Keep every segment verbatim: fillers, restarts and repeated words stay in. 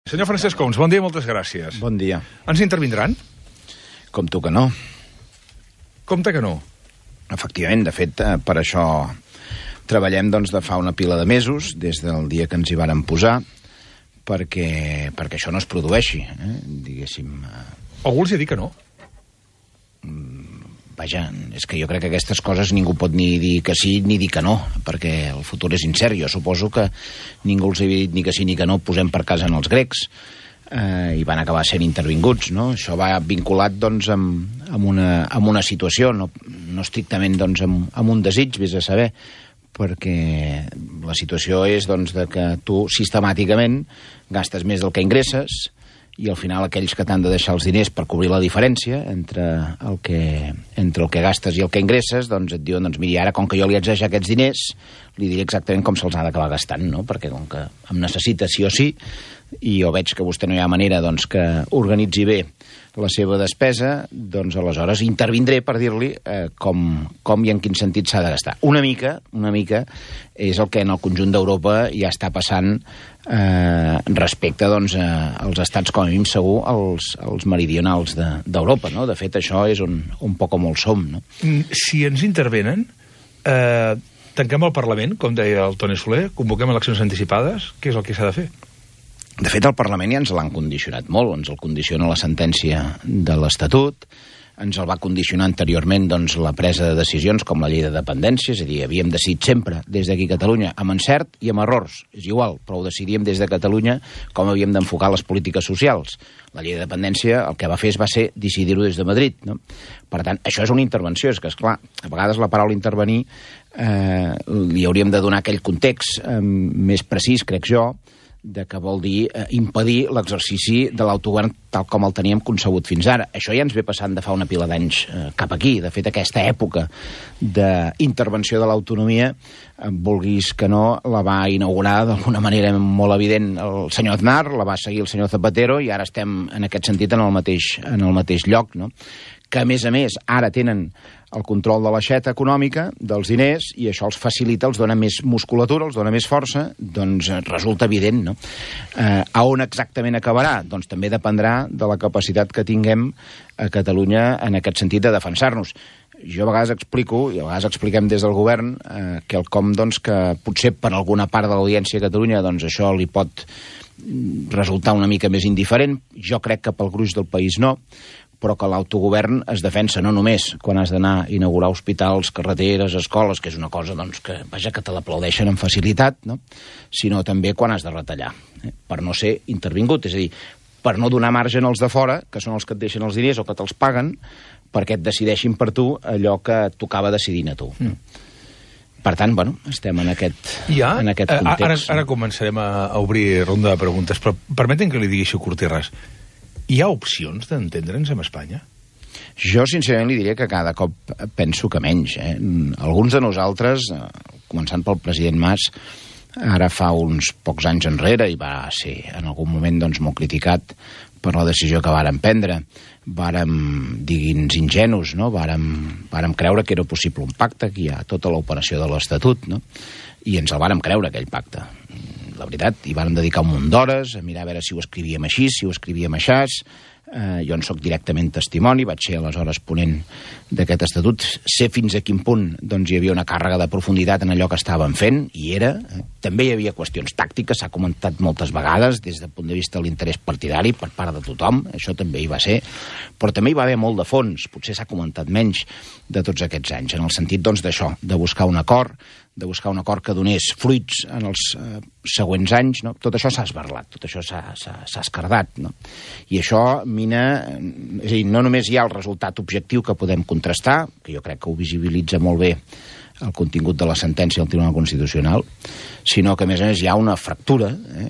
Senyor Francesc Homs, bon dia i moltes gràcies. Bon dia. Ens intervindran? Compto que no. Compte que no. Efectivament, de fet, per això treballem doncs, de fa una pila de mesos, des del dia que ens hi vàrem posar, perquè, perquè això no es produeixi, eh? diguéssim. Algú els ha dit que no? Vaja, és que jo crec que aquestes coses ningú pot ni dir que sí ni dir que no, perquè el futur és incert. Jo suposo que ningú els havia dit ni que sí ni que no, posem per casa en els grecs, eh, i van acabar sent intervinguts, no? Això va vinculat, doncs, amb, amb, una, amb una situació, no, no estrictament, doncs, amb, amb un desig, vés a saber, perquè la situació és, doncs, de que tu sistemàticament gastes més del que ingresses, i al final aquells que t'han de deixar els diners per cobrir la diferència entre el que, entre el que gastes i el que ingresses, doncs et diuen, doncs miri, ara com que jo li haig de deixar aquests diners, li diré exactament com se'ls ha d'acabar gastant, no? Perquè com que em necessita sí o sí, i jo veig que vostè no hi ha manera doncs, que organitzi bé la seva despesa, doncs aleshores intervindré per dir-li eh, com, com i en quin sentit s'ha de gastar. Una mica, una mica és el que en el conjunt d'Europa ja està passant eh, respecte doncs, eh, als estats, com a mínim segur, als, als meridionals d'Europa, no? De fet, això és un, un poc o molt som, no? Si ens intervenen, eh, tanquem el Parlament, com deia el Toni Soler, convoquem eleccions anticipades, què és el que s'ha de fer? De fet, el Parlament ja ens l'han condicionat molt, ens el condiciona la sentència de l'Estatut, ens el va condicionar anteriorment doncs, la presa de decisions com la llei de dependència, és a dir, havíem decidit sempre des d'aquí a Catalunya, amb encert i amb errors, és igual, però ho decidíem des de Catalunya com havíem d'enfocar les polítiques socials. La llei de dependència el que va fer va ser decidir-ho des de Madrid, no? Per tant, això és una intervenció, és que, esclar, a vegades la paraula intervenir eh, li hauríem de donar aquell context eh, més precís, crec jo, de què vol dir eh, impedir l'exercici de l'autogovern tal com el teníem concebut fins ara. Això ja ens ve passant de fa una pila d'anys eh, cap aquí. De fet, aquesta època d'intervenció de l'autonomia, eh, vulguis que no, la va inaugurar d'alguna manera molt evident el senyor Aznar, la va seguir el senyor Zapatero, i ara estem en aquest sentit en el mateix, en el mateix lloc, no? Que, a més a més, ara tenen el control de l'aixeta econòmica, dels diners, i això els facilita, els dona més musculatura, els dona més força, doncs resulta evident, no? Eh, a on exactament acabarà? Doncs també dependrà de la capacitat que tinguem a Catalunya en aquest sentit de defensar-nos. Jo a vegades explico, i a vegades expliquem des del govern, eh, que el com, doncs, que potser per alguna part de l'audiència a Catalunya, doncs això li pot resultar una mica més indiferent. Jo crec que pel gruix del país no, però que l'autogovern es defensa no només quan has d'anar a inaugurar hospitals, carreteres, escoles, que és una cosa doncs, que, vaja, que te l'aplaudeixen amb facilitat, no? Sinó també quan has de retallar, eh? Per no ser intervingut, és a dir, per no donar marge als de fora, que són els que et deixen els diners o que te'ls paguen, perquè et decideixin per tu allò que tocava decidint a tu. Mm. Per tant, bueno, estem en aquest, ja? en aquest context. Ara, ara començarem a, a obrir ronda de preguntes, però permeten que li digui això, curt i ras. Hi ha opcions d'entendre'ns amb Espanya? Jo, sincerament, li diria que cada cop penso que menys. Eh? Alguns de nosaltres, començant pel president Mas, ara fa uns pocs anys enrere, i va ser en algun moment doncs, molt criticat per la decisió que vàrem prendre, vàrem, digui'ns, ingenus, no? Vàrem, vàrem creure que era possible un pacte, que hi ha tota l'operació de l'Estatut, no? I ens el vàrem creure, aquell pacte. La veritat, hi vàrem dedicar un munt d'hores a mirar a veure si ho escrivíem així, si ho escrivíem aixàs. Eh, jo en soc directament testimoni, vaig ser aleshores ponent d'aquest estatut, sé fins a quin punt doncs, hi havia una càrrega de profunditat en allò que estàvem fent, i era. Eh, també hi havia qüestions tàctiques, s'ha comentat moltes vegades, des del punt de vista de l'interès partidari per part de tothom, això també hi va ser, però també hi va haver molt de fons, potser s'ha comentat menys de tots aquests anys, en el sentit doncs, d'això, de buscar un acord, de buscar un acord que donés fruits en els eh, següents anys, no? Tot això s'ha esberlat, tot això s'ha escardat, no? I això mina, és a dir, no només hi ha el resultat objectiu que podem contrastar, que jo crec que ho visibilitza molt bé el contingut de la sentència del Tribunal Constitucional, sinó que, a més a més, hi ha una fractura, eh?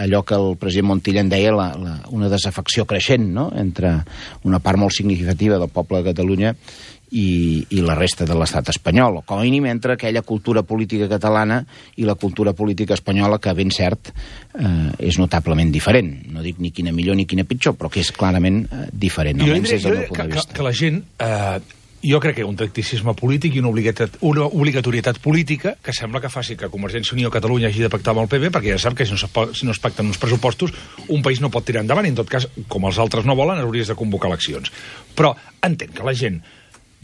allò que el president Montilla en deia la, la, una desafecció creixent, no? Entre una part molt significativa del poble de Catalunya i, i la resta de l'estat espanyol, o com a mínim entre aquella cultura política catalana i la cultura política espanyola, que ben cert eh, és notablement diferent. No dic ni quina millor ni quina pitjor, però que és clarament eh, diferent, almenys des del meu punt de vista. Que, que la gent eh, jo crec que hi ha un tacticisme polític i una, obligatat, una obligatorietat política que sembla que faci que Convergència i Unió Catalunya hagi de pactar amb el P P, perquè ja sap que si no, es, si no es pacten uns pressupostos, un país no pot tirar endavant, i en tot cas, com els altres no volen, hauries de convocar eleccions. Però entenc que la gent,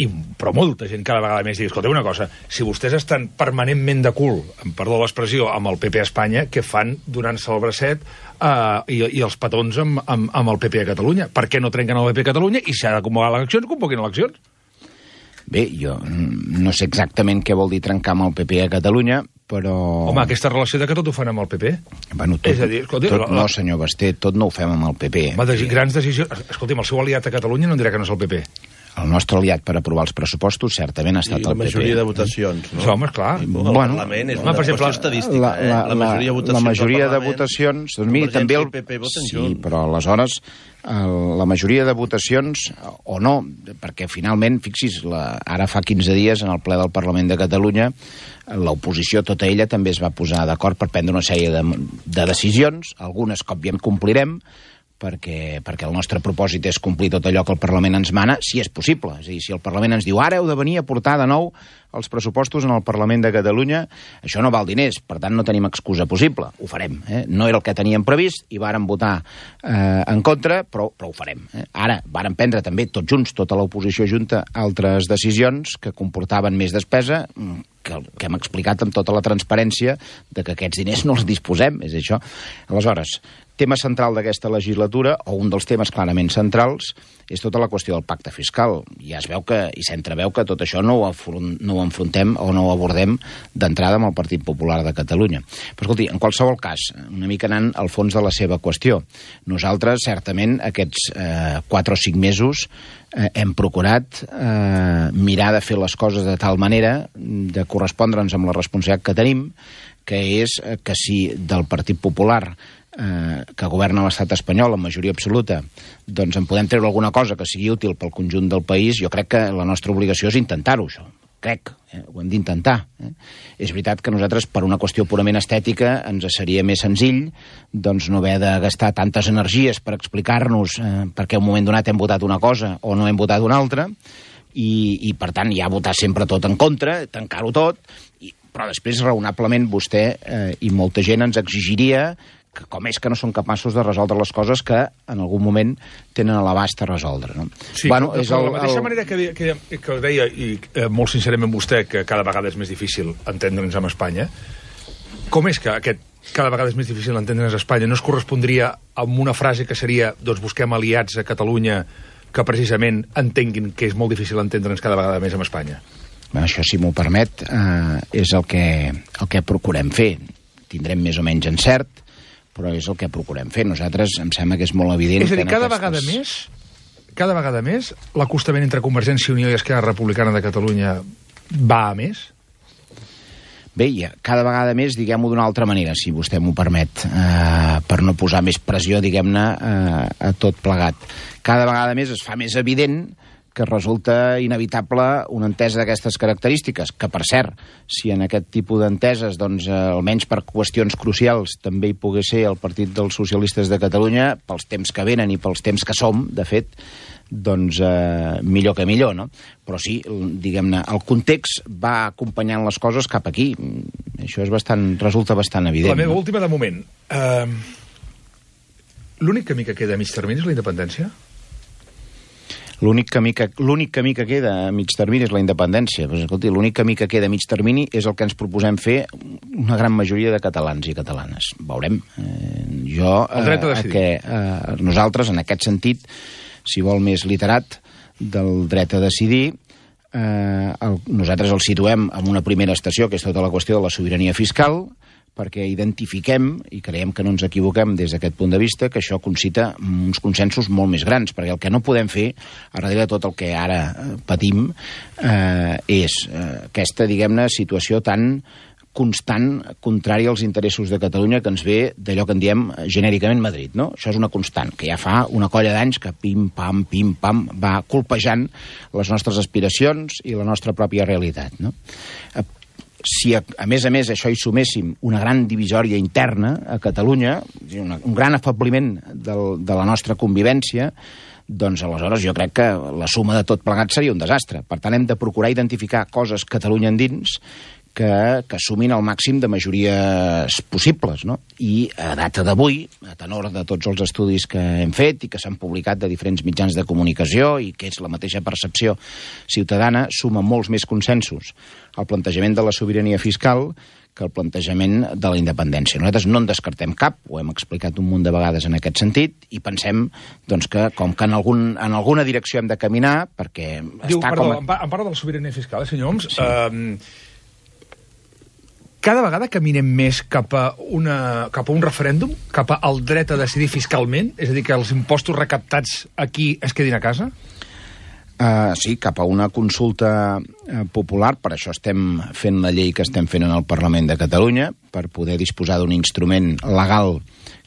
i, però molta gent cada vegada més, digui, escolta, una cosa, si vostès estan permanentment de cul, amb perdó l'expressió, amb el P P a Espanya, què fan donant-se el bracet uh, i, i els petons amb, amb, amb el P P a Catalunya? Per què no trenquen el P P a Catalunya i si ha de convocar eleccions, convoquin eleccions? Bé, jo no sé exactament què vol dir trencar amb el P P a Catalunya, però... Home, aquesta relació de que tot ho fan amb el P P? Bueno, tot, és a dir, escolti, tot, la, no, senyor Basté, tot no ho fem amb el P P. Home, de grans decisions... Escolti'm, el seu aliat a Catalunya no em dirà que no és el P P. El nostre aliat per aprovar els pressupostos certament ha estat el P P. I la majoria de votacions, no? Sí, home, esclar. El bueno, Parlament és una per exemple, qüestió estadística, la, la, eh? La majoria de votacions, la majoria de votacions doncs miri, també el... P P voten sí, junts. però aleshores el, la majoria de votacions, o no, perquè finalment, fixi's, la, ara fa quinze dies en el ple del Parlament de Catalunya l'oposició, tota ella, també es va posar d'acord per prendre una sèrie de, de decisions, algunes que òbviament complirem, perquè, perquè el nostre propòsit és complir tot allò que el Parlament ens mana, si és possible. És a dir, si el Parlament ens diu ara heu de venir a portar de nou els pressupostos en el Parlament de Catalunya, això no val diners, per tant no tenim excusa possible. Ho farem. Eh? No era el que teníem previst i vàrem votar eh, en contra, però, però ho farem. Eh? Ara vàrem prendre també tots junts, tota l'oposició junta, altres decisions que comportaven més despesa, que, que hem explicat amb tota la transparència de que aquests diners no els disposem, és això. Aleshores, tema central d'aquesta legislatura, o un dels temes clarament centrals, és tota la qüestió del pacte fiscal. Ja es veu que, i s'entreveu que tot això no ho, afront, no ho enfrontem o no ho abordem d'entrada amb el Partit Popular de Catalunya. Però, escolti, en qualsevol cas, una mica anant al fons de la seva qüestió. Nosaltres, certament, aquests eh, quatre o cinc mesos eh, hem procurat eh, mirar de fer les coses de tal manera de correspondre'ns amb la responsabilitat que tenim, que és que si del Partit Popular Eh, que governa l'estat espanyol en majoria absoluta, doncs en podem treure alguna cosa que sigui útil pel conjunt del país, jo crec que la nostra obligació és intentar-ho, això. Crec, eh? ho hem d'intentar. Eh? És veritat que nosaltres, per una qüestió purament estètica, ens seria més senzill doncs, no haver de gastar tantes energies per explicar-nos eh, per què en un moment donat hem votat una cosa o no hem votat una altra, i, i per tant ja votar sempre tot en contra, tancar-ho tot, i, però després raonablement vostè eh, i molta gent ens exigiria que com és que no són capaços de resoldre les coses que en algun moment tenen a l'abast a resoldre. No? Sí, bueno, de, és de el, la mateixa el... manera que, que, que deia, i eh, molt sincerament vostè, que cada vegada és més difícil entendre'ns amb Espanya, com és que aquest cada vegada és més difícil entendre'ns a Espanya no es correspondria amb una frase que seria doncs busquem aliats a Catalunya que precisament entenguin que és molt difícil entendre'ns cada vegada més amb Espanya? Bueno, això, si m'ho permet, eh, és el que, el que procurem fer. Tindrem més o menys encert, però és el que procurem fer. Nosaltres em sembla que és molt evident... És a dir, que cada aquestes... vegada més, cada vegada més, l'acostament entre Convergència i Unió i Esquerra Republicana de Catalunya va a més? Bé, ja, cada vegada més, diguem-ho d'una altra manera, si vostè m'ho permet, eh, per no posar més pressió, diguem-ne, eh, a tot plegat. Cada vegada més es fa més evident que resulta inevitable una entesa d'aquestes característiques, que, per cert, si en aquest tipus d'enteses, doncs, eh, almenys per qüestions crucials, també hi pogués ser el Partit dels Socialistes de Catalunya, pels temps que venen i pels temps que som, de fet, doncs eh, millor que millor, no? Però sí, diguem-ne, el context va acompanyant les coses cap aquí. Això és bastant, resulta bastant evident. La meva no? última, de moment. Uh, L'únic camí que queda a mig termini és la independència? L'únic camí, que, l'únic camí que queda a mig termini és la independència. Pues, escolti, l'únic camí que queda a mig termini és el que ens proposem fer una gran majoria de catalans i catalanes. Veurem. Eh, jo, el dret a decidir. Eh, que, eh, nosaltres, en aquest sentit, si vol més literat, del dret a decidir, eh, el, nosaltres el situem en una primera estació, que és tota la qüestió de la sobirania fiscal, perquè identifiquem, i creiem que no ens equivoquem des d'aquest punt de vista, que això concita uns consensos molt més grans, perquè el que no podem fer, a darrere de tot el que ara patim, eh, és eh, aquesta, diguem-ne, situació tan constant, contrària als interessos de Catalunya, que ens ve d'allò que en diem genèricament Madrid, no? Això és una constant, que ja fa una colla d'anys que pim-pam, pim-pam, va colpejant les nostres aspiracions i la nostra pròpia realitat, no? si a, a més a més això hi suméssim una gran divisòria interna a Catalunya, una, un gran afabliment del, de la nostra convivència, doncs aleshores jo crec que la suma de tot plegat seria un desastre. Per tant, hem de procurar identificar coses Catalunya endins que, que sumin el màxim de majories possibles, no? I a data d'avui, a tenor de tots els estudis que hem fet i que s'han publicat de diferents mitjans de comunicació i que és la mateixa percepció ciutadana, suma molts més consensos el plantejament de la sobirania fiscal que el plantejament de la independència. Nosaltres no en descartem cap, ho hem explicat un munt de vegades en aquest sentit, i pensem doncs, que com que en, algun, en alguna direcció hem de caminar, perquè Diu, està perdó, com... A... em, pa, em parla de la sobirania fiscal, eh, senyor Homs? Sí. Uh, cada vegada caminem més cap a, una, cap a un referèndum, cap al dret a decidir fiscalment, és a dir, que els impostos recaptats aquí es quedin a casa? Uh, sí, cap a una consulta uh, popular. Per això estem fent la llei que estem fent en el Parlament de Catalunya, per poder disposar d'un instrument legal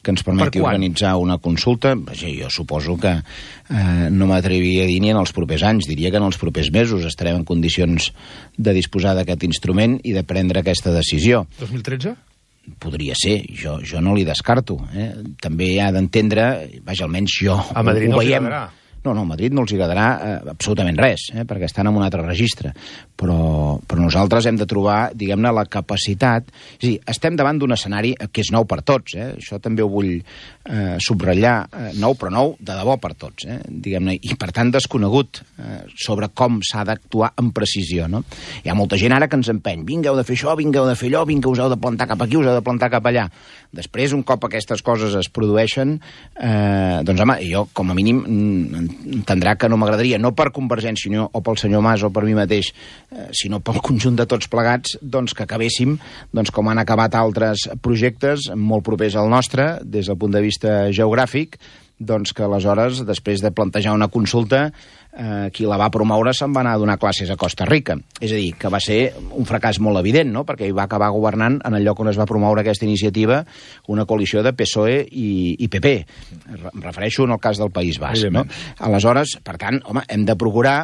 que ens permeti organitzar una consulta. Vaja, jo suposo que eh, no m'atreviria a dir ni en els propers anys, diria que en els propers mesos estarem en condicions de disposar d'aquest instrument i de prendre aquesta decisió. dos mil tretze? Podria ser, jo, jo no li descarto. Eh? També ha d'entendre, vaja, almenys jo... A Madrid ho, ho no veiem. agradarà. No, no, a Madrid no els agradarà eh, absolutament res, eh, perquè estan en un altre registre. Però, però nosaltres hem de trobar, diguem-ne, la capacitat... És a dir, estem davant d'un escenari que és nou per tots, eh? Això també ho vull eh, subratllar, eh, nou però nou de debò per tots, eh? Diguem-ne, i per tant desconegut eh, sobre com s'ha d'actuar amb precisió, no? Hi ha molta gent ara que ens empeny, vinga, heu de fer això, vinga, heu de fer allò, vinga, us heu de plantar cap aquí, us heu de plantar cap allà. Després, un cop aquestes coses es produeixen, eh, doncs, home, jo, com a mínim, entendrà que no m'agradaria, no per Convergència i Unió o pel senyor Mas o per mi mateix, eh, sinó pel conjunt de tots plegats, doncs que acabéssim doncs, com han acabat altres projectes molt propers al nostre, des del punt de vista geogràfic, doncs que aleshores, després de plantejar una consulta, eh, qui la va promoure se'n va anar a donar classes a Costa Rica. És a dir, que va ser un fracàs molt evident, no?, perquè hi va acabar governant en el lloc on es va promoure aquesta iniciativa una coalició de P S O E i, i P P. Em refereixo en el cas del País Basc, no? Aleshores, per tant, home, hem de procurar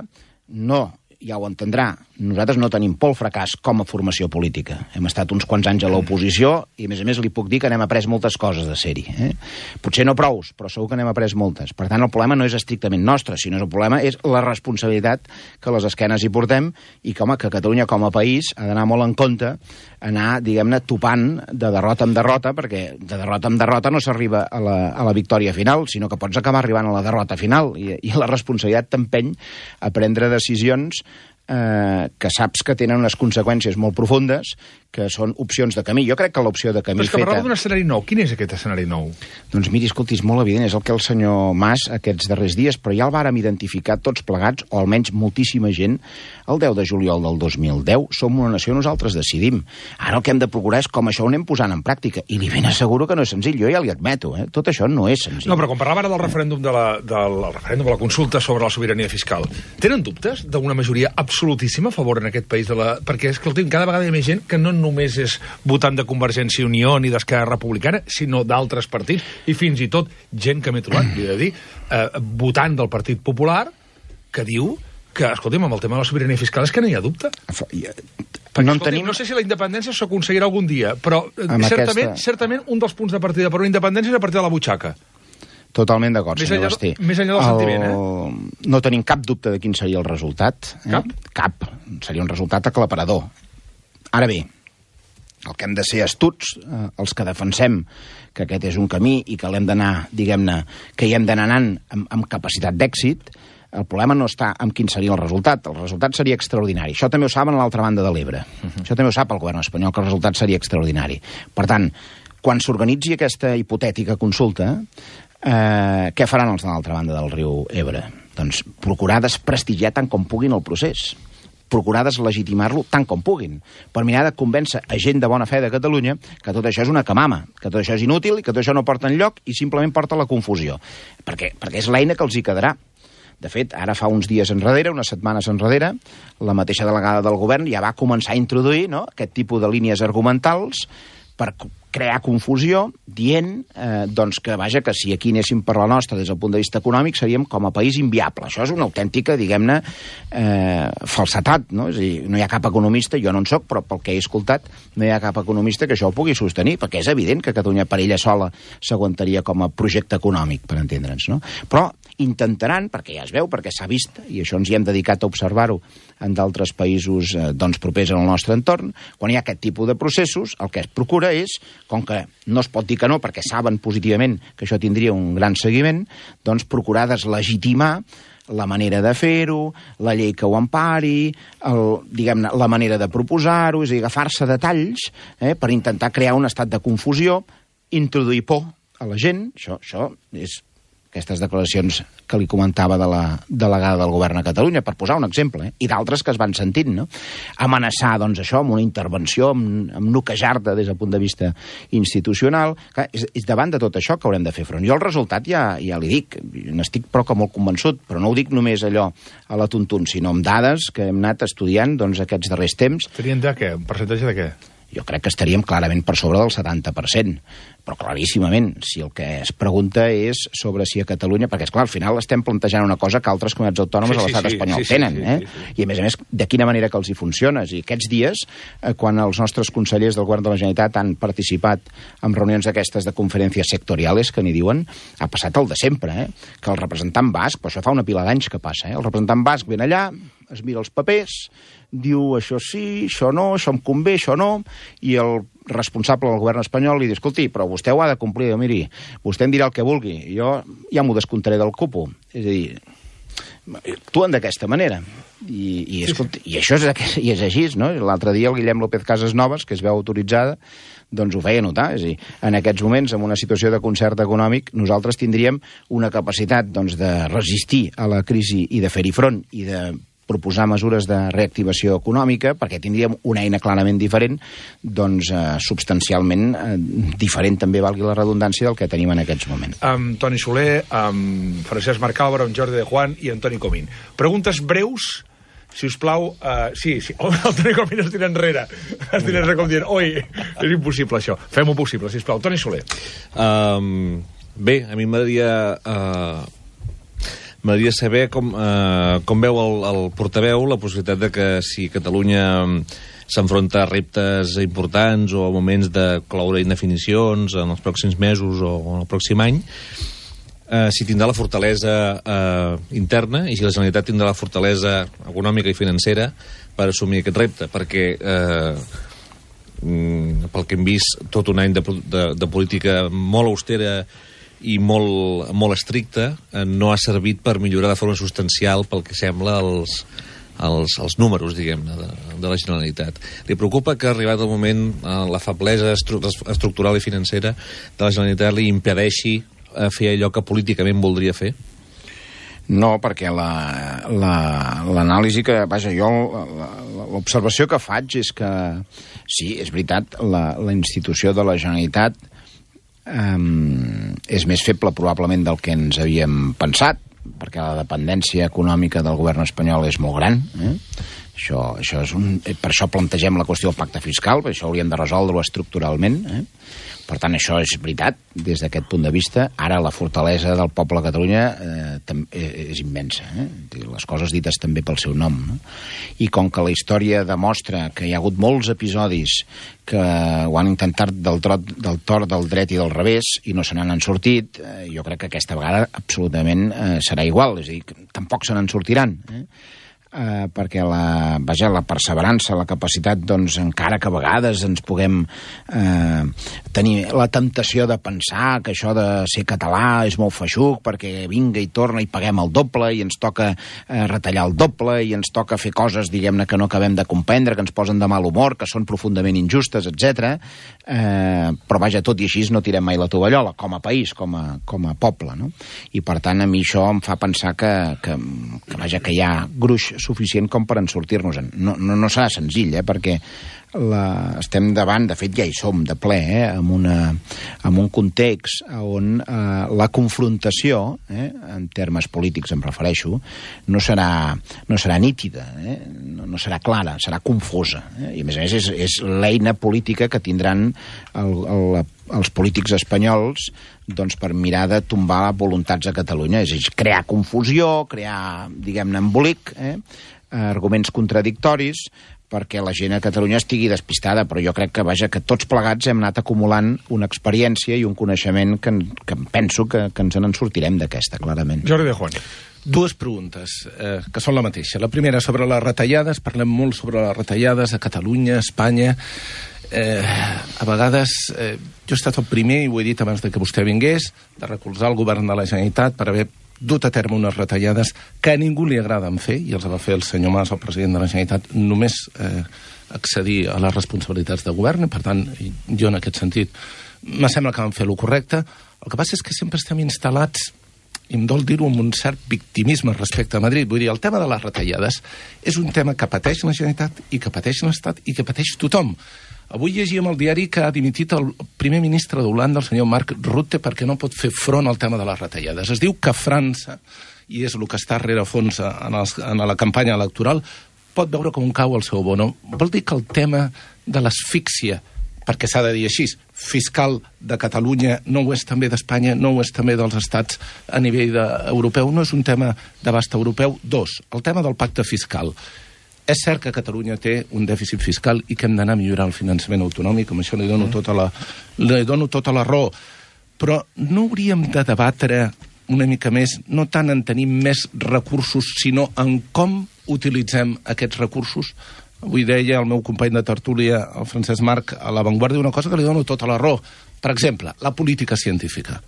no... ja ho entendrà, nosaltres no tenim por al fracàs com a formació política. Hem estat uns quants anys a l'oposició i, a més a més, li puc dir que n'hem après moltes coses de ser-hi. Eh? Potser no prous, però segur que n'hem après moltes. Per tant, el problema no és estrictament nostre, sinó que el problema és la responsabilitat que a les esquenes hi portem i que, home, que Catalunya com a país ha d'anar molt en compte, anar, diguem-ne, topant de derrota en derrota, perquè de derrota en derrota no s'arriba a, la, a la victòria final, sinó que pots acabar arribant a la derrota final. I, i la responsabilitat t'empeny a prendre decisions Eh, que saps que tenen unes conseqüències molt profundes, que són opcions de camí. Jo crec que l'opció de camí feta... Però és que feta... parlava d'un escenari nou. Quin és aquest escenari nou? Doncs miri, escolti, és molt evident, és el que el senyor Mas aquests darrers dies, però ja el vàrem identificar tots plegats, o almenys moltíssima gent, el deu de juliol del dos mil deu. Som una nació, nosaltres decidim. Ara el que hem de procurar és com això ho anem posant en pràctica, i li ben asseguro que no és senzill, jo ja li admeto, eh? Tot això no és senzill. No, però quan parlava ara del referèndum de la, del referèndum de la consulta sobre la sobirania fiscal, tenen dubtes d'una majoria absolutíssima a favor en aquest país de la... Perquè, escolti'm, cada vegada hi ha més gent que no només és votant de Convergència i Unió ni d'Esquerra Republicana, sinó d'altres partits, i fins i tot gent que m'he trobat, li he de dir, eh, votant del Partit Popular, que diu que, escolti'm, amb el tema de la sobirania fiscal és que no hi ha dubte. Perquè, no, escolti'm, tenim... no sé si la independència s'aconseguirà algun dia, però certament, aquesta... certament un dels punts de partida per una independència és a partir de la butxaca. Totalment d'acord, senyor Basté. Més enllà del el... sentiment, eh? No tenim cap dubte de quin seria el resultat. Eh? Cap? Cap. Seria un resultat aclaparador. Ara bé, el que hem de ser astuts, eh, els que defensem que aquest és un camí i que l'hem d'anar, diguem-ne, que hi hem d'anar anant amb, amb capacitat d'èxit, el problema no està en quin seria el resultat. El resultat seria extraordinari. Això també ho saben a l'altra banda de l'Ebre. Uh-huh. Això també ho sap el govern espanyol, que el resultat seria extraordinari. Per tant, quan s'organitzi aquesta hipotètica consulta, eh, què faran els de l'altra banda del riu Ebre? Doncs procurar desprestigiar tant com puguin el procés, procurar deslegitimar-lo tant com puguin, per mirar de convèncer a gent de bona fe de Catalunya que tot això és una camama, que tot això és inútil i que tot això no porta enlloc i simplement porta a la confusió. Perquè, perquè és l'eina que els hi quedarà. De fet, ara fa uns dies enrere, unes setmanes enrere, la mateixa delegada del govern ja va començar a introduir, no?, aquest tipus de línies argumentals per crear confusió, dient eh, doncs que, vaja, que si aquí anéssim per la nostra des del punt de vista econòmic seríem com a país inviable. Això és una autèntica, diguem-ne, eh, falsetat, no? És a dir, no hi ha cap economista, jo no en soc, però pel que he escoltat, no hi ha cap economista que això ho pugui sostenir, perquè és evident que Catalunya per ella sola s'aguantaria com a projecte econòmic, per entendre'ns, no? Però intentaran, perquè ja es veu, perquè s'ha vist, i això ens hi hem dedicat a observar-ho en d'altres països eh, doncs, propers al nostre entorn, quan hi ha aquest tipus de processos, el que es procura és, com que no es pot dir que no, perquè saben positivament que això tindria un gran seguiment, doncs procurar deslegitimar la manera de fer-ho, la llei que ho empari, el, diguem-ne, la manera de proposar-ho, és a dir, agafar-se detalls eh, per intentar crear un estat de confusió, introduir por a la gent, això, això és aquestes declaracions que li comentava de la delegada del govern a Catalunya, per posar un exemple, eh? I d'altres que es van sentint, no? Amenaçar, doncs, això, amb una intervenció, amb, amb noquejar-te des del punt de vista institucional. Clar, és, és davant de tot això que haurem de fer front. Jo el resultat ja, ja li dic, n'estic prou que molt convençut, però no ho dic només allò a la tuntun, sinó amb dades que hem anat estudiant doncs, aquests darrers temps. Serien de què? Un percentatge de què? Jo crec que estaríem clarament per sobre del setanta per cent, però claríssimament, si el que es pregunta és sobre si a Catalunya, perquè esclar, al final estem plantejant una cosa que altres comunitats autònomes sí, sí, a l'estat sí, espanyol sí, sí, tenen, sí, sí, eh? Sí, sí. I a més a més, de quina manera que els hi funciona. I aquests dies, eh, quan els nostres consellers del govern de la Generalitat han participat en reunions d'aquestes de conferències sectorials, que n'hi diuen, ha passat el de sempre, eh? Que el representant basc, però això fa una pila d'anys que passa, eh? El representant basc ven allà, es mira els papers, diu això sí, això no, això em convé, això no, i el responsable del govern espanyol li diu, escolti, però vostè ho ha de complir, miri, vostè em dirà el que vulgui, jo ja m'ho descomptaré del cupo. És a dir, actuen d'aquesta manera. I, i, escolti, i això és, i és així, no? L'altre dia el Guillem López Casasnovas, que es veu autoritzada, doncs ho feia notar. És a dir, en aquests moments, en una situació de concert econòmic, nosaltres tindríem una capacitat doncs, de resistir a la crisi i de fer-hi front i de proposar mesures de reactivació econòmica, perquè tindríem una eina clarament diferent, doncs eh, substancialment eh, diferent, també valgui la redundància, del que tenim en aquests moments. Amb Toni Soler, amb Francesc Marcàlvaro, amb Jordi de Juan i amb Toni Comín. Preguntes breus, si us plau... Uh, sí, sí, oh, el Toni Comín es tira enrere. Es tira enrere com dient, oi, és impossible això. Fem-ho possible, si us plau. Toni Soler. Um, bé, a mi m'agradaria... Uh... M'agradaria saber com, eh, com veu el, el portaveu la possibilitat de que si Catalunya s'enfronta a reptes importants o a moments de cloure indefinicions en els pròxims mesos o en el pròxim any, eh, si tindrà la fortalesa eh, interna i si la Generalitat tindrà la fortalesa econòmica i financera per assumir aquest repte, perquè eh, pel que hem vist tot un any de, de, de política molt austera i molt, molt estricta, eh, no ha servit per millorar de forma substancial, pel que sembla, els, els, els números, diguem-ne, de, de la Generalitat. Li preocupa que, arribat el moment, eh, la feblesa estru estructural i financera de la Generalitat li impedeixi eh, fer allò que políticament voldria fer? No, perquè l'anàlisi la, que... Vaja, jo... L'observació que faig és que, sí, és veritat, la, la institució de la Generalitat Um, és més feble probablement del que ens havíem pensat, perquè la dependència econòmica del govern espanyol és molt gran, eh? Això, això és un, per això plantegem la qüestió del pacte fiscal, per això hauríem de resoldre-ho estructuralment, eh? Per tant, això és veritat, des d'aquest punt de vista. Ara la fortalesa del poble de Catalunya eh, és immensa, eh? Les coses dites també pel seu nom, no? I com que la història demostra que hi ha hagut molts episodis que ho han intentat del, trot, del tort, del dret i del revés i no se n'han sortit, eh, jo crec que aquesta vegada absolutament eh, serà igual, és a dir, que tampoc se n'en sortiran, eh? Eh, perquè la, vaja, la perseverança, la capacitat, doncs, encara que a vegades ens puguem eh, tenir la temptació de pensar que això de ser català és molt feixuc, perquè vinga i torna i paguem el doble i ens toca eh, retallar el doble i ens toca fer coses, diguem-ne, que no acabem de comprendre, que ens posen de mal humor, que són profundament injustes, etcètera. Eh, però, vaja, tot i així no tirem mai la tovallola, com a país, com a, com a poble, no? I, per tant, a mi això em fa pensar que, que, que vaja, que hi ha gruix suficient com per en sortir-nos-en. No, no, no serà senzill, eh? Perquè la, estem davant, de fet ja hi som de ple, eh, amb, una, amb un context on eh, la confrontació, eh, en termes polítics em refereixo, no serà, no serà nítida, eh, no, no serà clara, serà confusa. Eh, I a més a més és, és l'eina política que tindran el, el, els polítics espanyols doncs, per mirar de tombar voluntats a Catalunya. És a dir, crear confusió, crear, diguem-ne, embolic, eh, arguments contradictoris, perquè la gent a Catalunya estigui despistada, però jo crec que, vaja, que tots plegats hem anat acumulant una experiència i un coneixement que, que penso que, que ens en sortirem d'aquesta, clarament. Jordi de Juan. Dues preguntes, eh, que són la mateixa. La primera, sobre les retallades. Parlem molt sobre les retallades a Catalunya, a Espanya. Eh, a vegades, eh, jo he estat el primer, i ho he dit abans de que vostè vingués, de recolzar el govern de la Generalitat per haver dut a terme unes retallades que a ningú li agraden fer, i els va fer el senyor Mas, el president de la Generalitat, només eh, accedir a les responsabilitats de govern, i per tant, jo en aquest sentit, me sembla que van fer el correcte. El que passa és que sempre estem instal·lats, i em dol dir-ho, amb un cert victimisme respecte a Madrid. Vull dir, el tema de les retallades és un tema que pateix la Generalitat i que pateix l'Estat i que pateix tothom. Avui llegíem al diari que ha dimitit el primer ministre d'Holanda, el senyor Mark Rutte, perquè no pot fer front al tema de les retallades. Es diu que França, i és el que està rere fons en, els, en la campanya electoral, pot veure com cau el seu bono. Vol dir que el tema de l'asfíxia, perquè s'ha de dir així, fiscal de Catalunya no ho és també d'Espanya, no ho és també dels estats a nivell de, europeu, no és un tema d'abast europeu. Dos, el tema del pacte fiscal. És cert que Catalunya té un dèficit fiscal i que hem d'anar a millorar el finançament autonòmic, amb això li dono tota la, li dono tota la raó. Però no hauríem de debatre una mica més, no tant en tenir més recursos, sinó en com utilitzem aquests recursos? Avui deia el meu company de tertúlia, el Francesc Marc, a La Vanguardia, una cosa que li dono tota la raó. Per exemple, la política científica.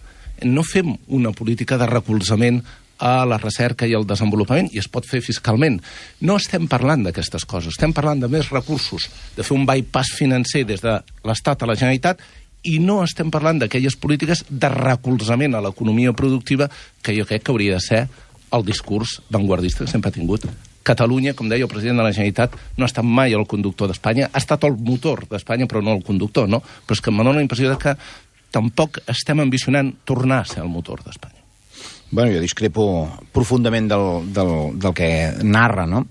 No fem una política de recolzament a la recerca i al desenvolupament, i es pot fer fiscalment. No estem parlant d'aquestes coses, estem parlant de més recursos, de fer un bypass financer des de l'Estat a la Generalitat, i no estem parlant d'aquelles polítiques de recolzament a l'economia productiva que jo crec que hauria de ser el discurs vanguardista que sempre ha tingut. Catalunya, com deia el president de la Generalitat, no ha estat mai el conductor d'Espanya, ha estat el motor d'Espanya, però no el conductor, no? Però és que em dóna la impressió de que tampoc estem ambicionant tornar a ser el motor d'Espanya. Bueno, jo discrepo profundament del, del, del que narra, no?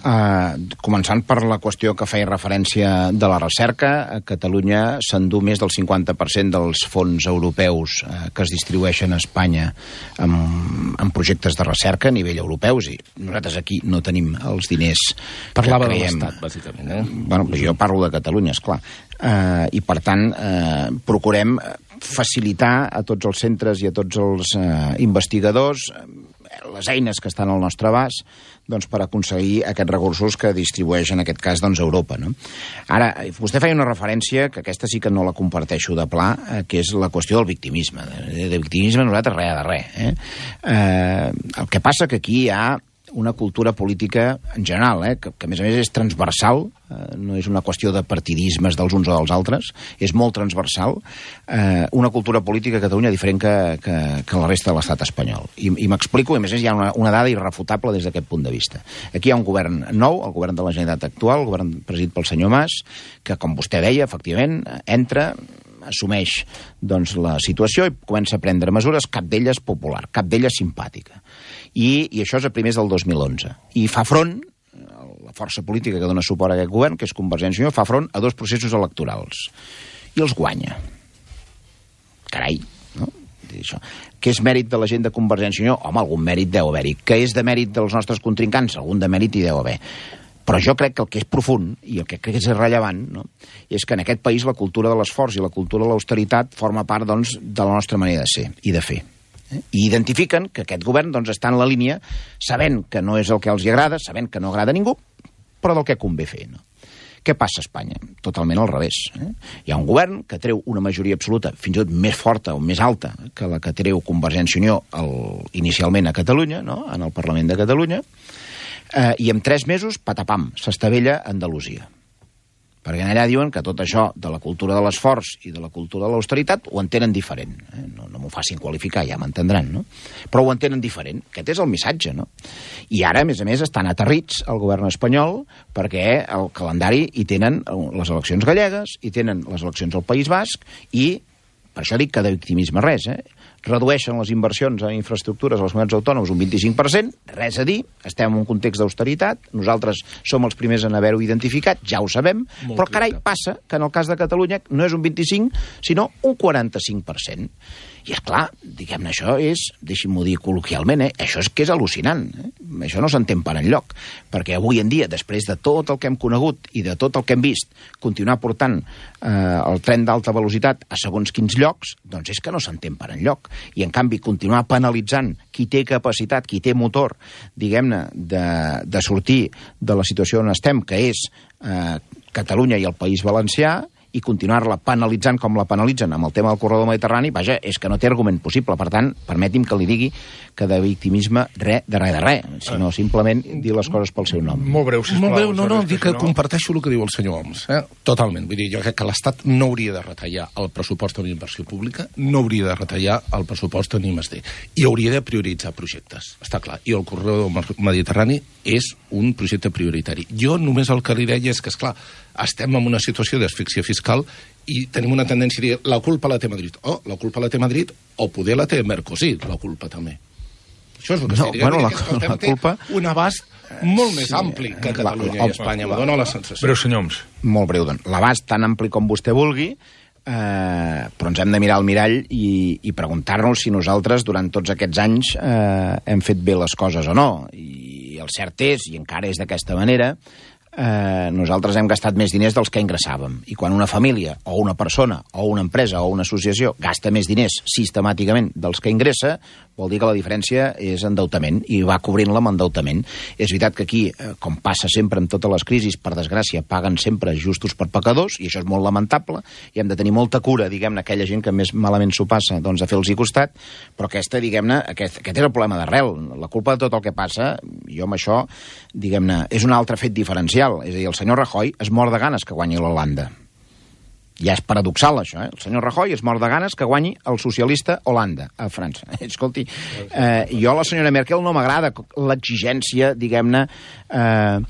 Uh, començant per la qüestió que feia referència de la recerca, a Catalunya s'endú més del cinquanta per cent dels fons europeus uh, que es distribueixen a Espanya en, en projectes de recerca a nivell europeu, i nosaltres aquí no tenim els diners Parlava que de creiem. l'Estat, bàsicament, eh? Bueno, jo parlo de Catalunya, esclar. Uh, I, per tant, uh, procurem facilitar a tots els centres i a tots els uh, investigadors les eines que estan al nostre abast, doncs, per aconseguir aquests recursos que distribueix, en aquest cas, doncs, Europa, no? Ara, vostè feia una referència, que aquesta sí que no la comparteixo de pla, eh, que és la qüestió del victimisme. De, de victimisme nosaltres res de res. Eh? Eh, el que passa que aquí hi ha una cultura política en general, eh, que, que a més a més és transversal, eh, no és una qüestió de partidismes dels uns o dels altres, és molt transversal, eh, una cultura política a Catalunya diferent que, que, que la resta de l'estat espanyol. I, i m'explico, i a més a més hi ha una, una dada irrefutable des d'aquest punt de vista. Aquí hi ha un govern nou, el govern de la Generalitat actual, el govern presidit pel senyor Mas, que, com vostè deia, efectivament, entra, assumeix doncs, la situació i comença a prendre mesures, cap d'elles popular, cap d'elles simpàtica. I, I això és a primers del dos mil onze. I fa front, la força política que dona suport a aquest govern, que és Convergència i Unió, fa front a dos processos electorals. I els guanya. Carai, no? Això. Que és mèrit de la gent de Convergència i Unió? Home, algun mèrit deu haver-hi. Que és de mèrit dels nostres contrincants? Algun de mèrit hi deu haver. Però jo crec que el que és profund, i el que crec que és rellevant, no? És que en aquest país la cultura de l'esforç i la cultura de l'austeritat forma part, doncs, de la nostra manera de ser i de fer. Eh? I identifiquen que aquest govern, doncs, està en la línia, sabent que no és el que els agrada, sabent que no agrada a ningú, però del que convé fer, no? Què passa a Espanya? Totalment al revés. Eh? Hi ha un govern que treu una majoria absoluta, fins i tot més forta o més alta que la que treu Convergència i Unió el, inicialment a Catalunya, no? En el Parlament de Catalunya, eh, i en tres mesos, patapam, s'estavella Andalusia. perquè allà diuen que tot això de la cultura de l'esforç i de la cultura de l'austeritat ho entenen diferent. Eh? No, no m'ho facin qualificar, ja m'entendran, no? Però ho entenen diferent. Aquest és el missatge, no? I ara, a més a més, estan aterrits el govern espanyol perquè el calendari hi tenen les eleccions gallegues, hi tenen les eleccions al País Basc i, per això dic que de victimisme res, eh? Redueixen les inversions a infraestructures a les comunitats autònomes un vint-i-cinc per cent, res a dir, estem en un context d'austeritat, nosaltres som els primers en haver-ho identificat, ja ho sabem, molt però carai, passa que en el cas de Catalunya no és un vint-i-cinc, sinó un quaranta-cinc per cent. I, esclar, diguem-ne, això és, deixi'm-ho dir col·loquialment, eh? Això és que és al·lucinant. Eh? Això no s'entén per enlloc, perquè avui en dia, després de tot el que hem conegut i de tot el que hem vist, continuar portant eh, el tren d'alta velocitat a segons quins llocs, doncs és que no s'entén per enlloc. I, en canvi, continuar penalitzant qui té capacitat, qui té motor, diguem-ne, de, de sortir de la situació on estem, que és eh, Catalunya i el País Valencià, i continuar-la penalitzant com la penalitzen amb el tema del corredor mediterrani, vaja, és que no té argument possible. Per tant, permeti'm que li digui que de victimisme res de res de res, sinó simplement dir les coses pel seu nom. Molt breu, sisplau. Molt breu, no, no, dic que comparteixo el que diu el senyor Homs. Eh? Totalment. Vull dir, jo crec que l'Estat no hauria de retallar el pressupost en inversió pública, no hauria de retallar el pressupost en I més D, i hauria de prioritzar projectes, està clar. I el corredor mediterrani és un projecte prioritari. Jo només el que li deia és que, esclar, estem en una situació d'asfíxia fiscal i tenim una tendència a dir la culpa la té Madrid. Oh, la culpa la té Madrid, o poder la té Mercosur, la culpa també. Això és el que no, estic bueno, dient. la, que la culpa... un abast molt més sí, ampli que Catalunya la, i Espanya. Me dóna la sensació. Breu, senyor Homs. Molt breu, doncs. L'abast tan ampli com vostè vulgui, eh, però ens hem de mirar al mirall i, i preguntar-nos si nosaltres durant tots aquests anys eh, hem fet bé les coses o no. I el cert és, i encara és d'aquesta manera, Eh, nosaltres hem gastat més diners dels que ingressàvem. I quan una família, o una persona, o una empresa, o una associació gasta més diners sistemàticament dels que ingressa, vol dir que la diferència és endeutament, i va cobrint-la amb endeutament. És veritat que aquí, eh, com passa sempre en totes les crisis, per desgràcia, paguen sempre justos per pecadors, i això és molt lamentable, i hem de tenir molta cura, diguem-ne, aquella gent que més malament s'ho passa, doncs a fer-los costat, però aquesta, diguem-ne, aquest, aquest és el problema d'arrel. La culpa de tot el que passa, jo amb això, diguem-ne, és un altre fet diferencial. És a dir, el senyor Rajoy es mor de ganes que guanyi l'Holanda. Ja és paradoxal, això, eh? El senyor Rajoy es mor de ganes que guanyi el socialista Holanda, a França. Escolti, eh, jo a la senyora Merkel no m'agrada l'exigència, diguem-ne, eh,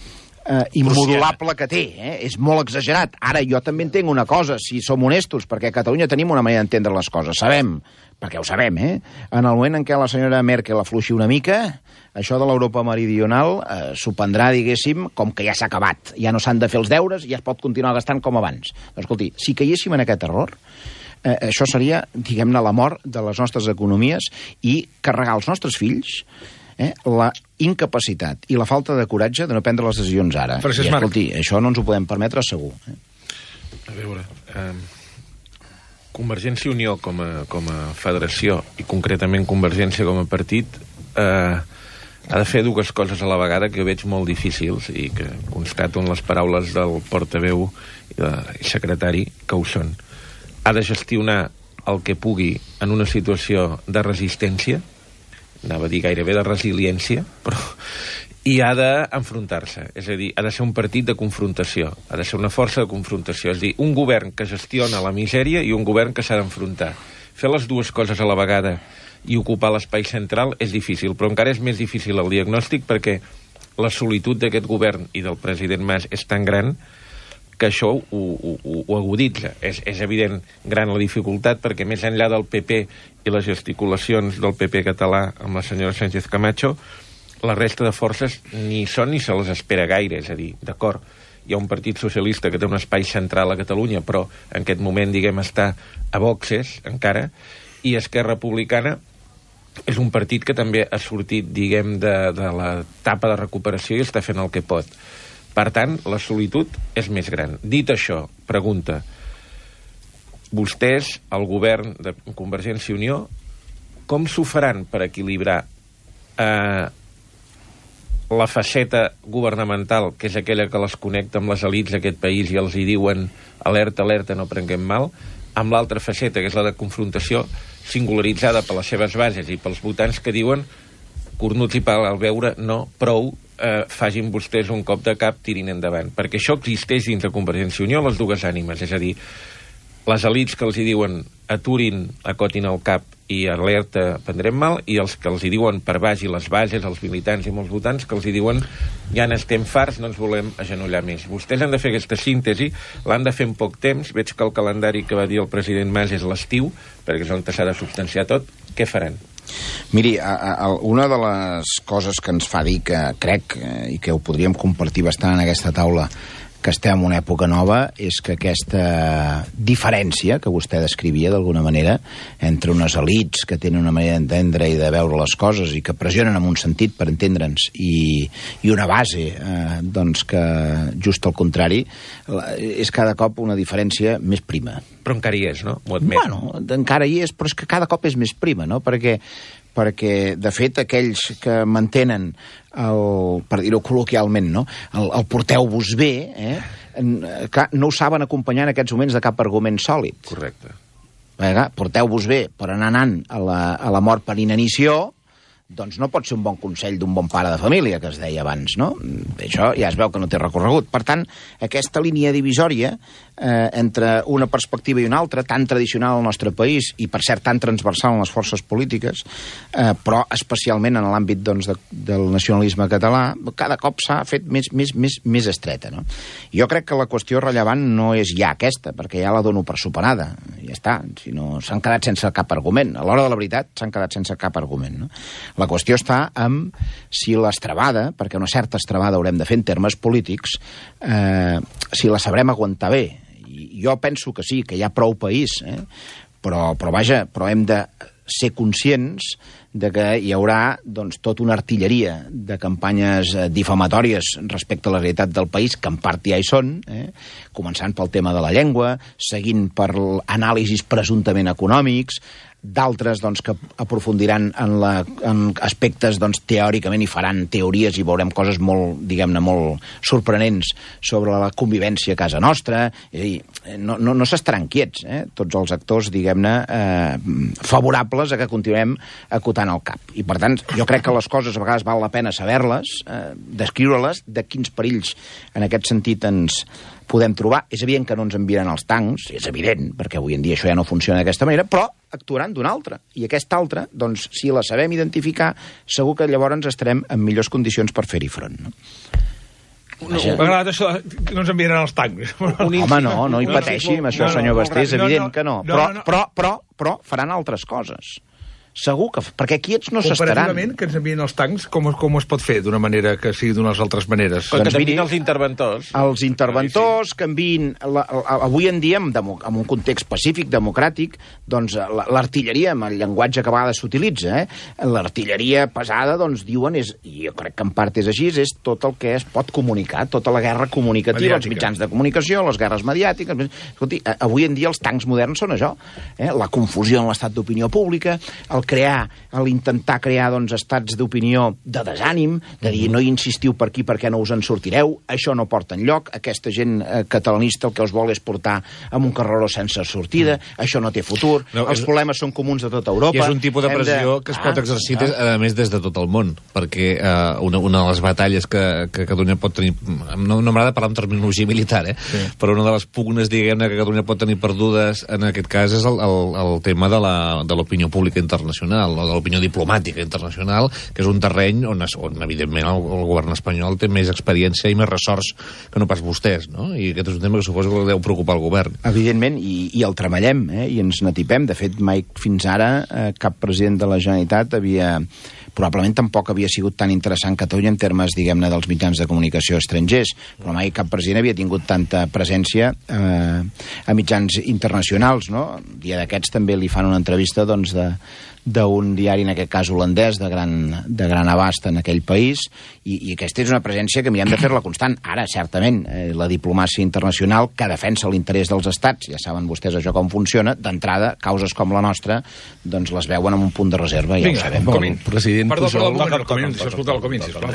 eh, immodulable que té, eh? És molt exagerat. Ara, jo també entenc una cosa, si som honestos, perquè a Catalunya tenim una manera d'entendre les coses, sabem, perquè ho sabem, eh? En el moment en què la senyora Merkel afluixi una mica, això de l'Europa meridional eh, s'ho prendrà, diguéssim, com que ja s'ha acabat. Ja no s'han de fer els deures i ja es pot continuar gastant com abans. Doncs, escolti, si caiguéssim en aquest error, eh, això seria, diguem-ne, la mort de les nostres economies i carregar als nostres fills eh, la incapacitat i la falta de coratge de no prendre les decisions ara. Francesc I, Marc. escolti, això no ens ho podem permetre segur. Eh? A veure, eh, Convergència i Unió com a, com a federació i concretament Convergència com a partit eh, ha de fer dues coses a la vegada que jo veig molt difícils i que constato en les paraules del portaveu i, de, i secretari que ho són. Ha de gestionar el que pugui en una situació de resistència, anava a dir gairebé de resiliència, però i ha d'enfrontar-se, és a dir, ha de ser un partit de confrontació, ha de ser una força de confrontació, és a dir, un govern que gestiona la misèria i un govern que s'ha d'enfrontar. Fer les dues coses a la vegada i ocupar l'espai central és difícil, però encara és més difícil el diagnòstic perquè la solitud d'aquest govern i del president Mas és tan gran que això ho, ho, ho aguditza. És, és evident gran la dificultat perquè més enllà del P P i les gesticulacions del P P català amb la senyora Sánchez Camacho, la resta de forces ni són ni se les espera gaire, és a dir, d'acord, hi ha un partit socialista que té un espai central a Catalunya, però en aquest moment, diguem, està a boxes, encara, i Esquerra Republicana és un partit que també ha sortit, diguem, de, de l'etapa de recuperació i està fent el que pot. Per tant, la solitud és més gran. Dit això, pregunta, vostès, el govern de Convergència i Unió, com s'ho faran per equilibrar eh, la faceta governamental, que és aquella que les connecta amb les elits d'aquest país i els hi diuen alerta, alerta, no prenguem mal, amb l'altra faceta, que és la de confrontació singularitzada per les seves bases i pels votants que diuen cornuts i pal al veure, no, prou, eh, facin vostès un cop de cap, tirin endavant. Perquè això existeix dins de Convergència i Unió, les dues ànimes, és a dir, les elits que els hi diuen aturin, acotin el cap i alerta, prendrem mal, i els que els hi diuen per baix, i les bases, els militants i molts votants, que els hi diuen ja n'estem farts, no ens volem agenollar més. Vostès han de fer aquesta síntesi, l'han de fer en poc temps, veig que el calendari que va dir el president Mas és l'estiu, perquè és on s'ha de substanciar tot, què faran? Miri, a, a, una de les coses que ens fa dir que crec, eh, i que ho podríem compartir bastant en aquesta taula, que estem en una època nova, és que aquesta diferència que vostè descrivia d'alguna manera entre unes elites que tenen una manera d'entendre i de veure les coses i que pressionen en un sentit per entendre'ns i, i una base eh, doncs que just al contrari és cada cop una diferència més prima. Però encara hi és, no? Ho admet. Bueno, encara hi és, però és que cada cop és més prima, no? Perquè perquè, de fet, aquells que mantenen, el, per dir-ho col·loquialment, no? el, el porteu-vos bé, eh? Clar, no ho saben acompanyar en aquests moments de cap argument sòlid. Correcte. Perquè, porteu-vos bé per anar anant a la, a la mort per inanició, doncs no pot ser un bon consell d'un bon pare de família, que es deia abans, no? Això ja es veu que no té recorregut. Per tant, aquesta línia divisòria eh, entre una perspectiva i una altra, tan tradicional al nostre país i, per cert, tan transversal en les forces polítiques, eh, però especialment en l'àmbit doncs, de, del nacionalisme català, cada cop s'ha fet més, més, més, més estreta, no? Jo crec que la qüestió rellevant no és ja aquesta, perquè ja la dono per superada, ja està, si no s'han quedat sense cap argument. A l'hora de la veritat s'han quedat sense cap argument, no? La qüestió està amb si l'estrabada, perquè una certa estrabada haurem de fer en termes polítics, eh, si la sabrem aguantar bé. I jo penso que sí, que hi ha prou país, eh? però, però vaja, però hem de ser conscients de que hi haurà doncs, tota una artilleria de campanyes difamatòries respecte a la realitat del país, que en part ja hi són, eh? començant pel tema de la llengua, seguint per anàlisis presumptament econòmics, d'altres doncs, que aprofundiran en, la, en aspectes doncs, teòricament i faran teories i veurem coses molt, diguem-ne, molt sorprenents sobre la convivència a casa nostra. És a dir, no, no, no s'estaran quiets, eh? tots els actors, diguem-ne, eh, favorables a que continuem acotant el cap. I, per tant, jo crec que les coses a vegades val la pena saber-les, eh, descriure-les, de quins perills en aquest sentit ens podem trobar. És evident que no ens enviaran els tancs, és evident, perquè avui en dia això ja no funciona d'aquesta manera, però actuaran d'una altra. I aquesta altra, doncs, si la sabem identificar, segur que llavors estarem en millors condicions per fer-hi front. No? No, m'ha agradat això que no ens enviaran els tancs. Home, no, no hi pateixi amb això, senyor Basté, és evident que no. Però, però, però, però faran altres coses. Segur que... Perquè aquí ets no s'estaran. Comparativament, que ens envien els tancs, com, com es pot fer d'una manera que sigui d'unes altres maneres? Que doncs miri, els interventors. Els interventors que envien... La, la, avui en dia, en, demo, en un context pacífic, democràtic, doncs l'artilleria, amb el llenguatge que a vegades s'utilitza, eh? l'artilleria pesada, doncs diuen, és, i jo crec que en part és així, és tot el que es pot comunicar, tota la guerra comunicativa, mediàtica. Els mitjans de comunicació, les guerres mediàtiques... Escolti, avui en dia els tancs moderns són això, eh? la confusió en l'estat d'opinió pública, el crear, l'intentar crear doncs, estats d'opinió de desànim, de dir no hi insistiu per aquí perquè no us en sortireu, això no porta enlloc, aquesta gent eh, catalanista el que us vol és portar amb un carreró sense sortida, mm. això no té futur, no, els és... problemes són comuns de tota Europa. I és un tipus de pressió de... que es pot ah, exercir, ah. a més, des de tot el món, perquè eh, una, una de les batalles que, que Catalunya pot tenir, no, no m'agrada parlar en terminologia militar, eh? sí. però una de les pugnes, diguem-ne, que Catalunya pot tenir perdudes en aquest cas és el, el, el tema de l'opinió pública internacional, o de l'opinió diplomàtica internacional, que és un terreny on, on evidentment, el, el govern espanyol té més experiència i més ressorts que no pas vostès, no? I aquest és un tema que suposo que deu preocupar el govern. Evidentment, i, i el treballem, eh? i ens n'atipem. De fet, mai fins ara eh, cap president de la Generalitat havia... probablement tampoc havia sigut tan interessant Catalunya en termes, diguem-ne, dels mitjans de comunicació estrangers, però mai cap president havia tingut tanta presència eh, a mitjans internacionals, no? Un dia d'aquests també li fan una entrevista, doncs, de d'un diari, en aquest cas holandès, de gran, de gran abast en aquell país, i, i aquesta és una presència que mirem de fer-la constant. Ara, certament, eh, la diplomàcia internacional que defensa l'interès dels estats, ja saben vostès això com funciona, d'entrada, causes com la nostra, doncs les veuen amb un punt de reserva, ja Vinga, ho sabem. Com el president president Perdó, Pujol... perdó, perdó, Comín, deixa escoltar el Comín, sisplau.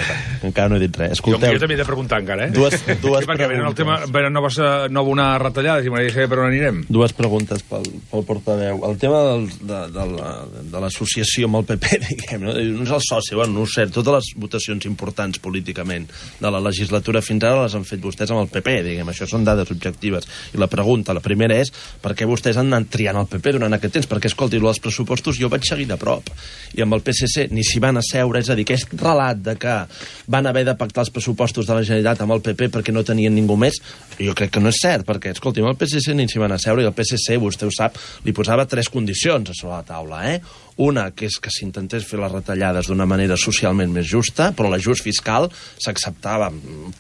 Encara no he dit res. Jo, Escolteu, jo també he de preguntar encara, eh? Dues- dues sí, perquè venen el tema, preguntes. venen noves, eh, nova una retallada, i m'agradaria saber per on anirem. dues preguntes pel, pel portaveu. El tema del, de, de, la, de l'associació amb el P P, diguem, no? No és el soci, bueno, no ho sé, totes les votacions importants políticament de la legislatura fins ara les han fet vostès amb el P P, diguem, això són dades objectives. I la pregunta, la primera és, per què vostès han anat triant el P P durant aquest temps? Perquè, escolti, els pressupostos jo vaig seguir de prop, i amb el P S C ni s'hi van asseure, és a dir, aquest relat de que van haver de pactar els pressupostos de la Generalitat amb el P P perquè no tenien ningú més, jo crec que no és cert, perquè, escolti, amb el P S C ni s'hi van asseure, i el P S C, vostè ho sap, li posava tres condicions a sobre la taula, eh? Una, que és que s'intentés fer les retallades d'una manera socialment més justa, però l'ajust fiscal s'acceptava,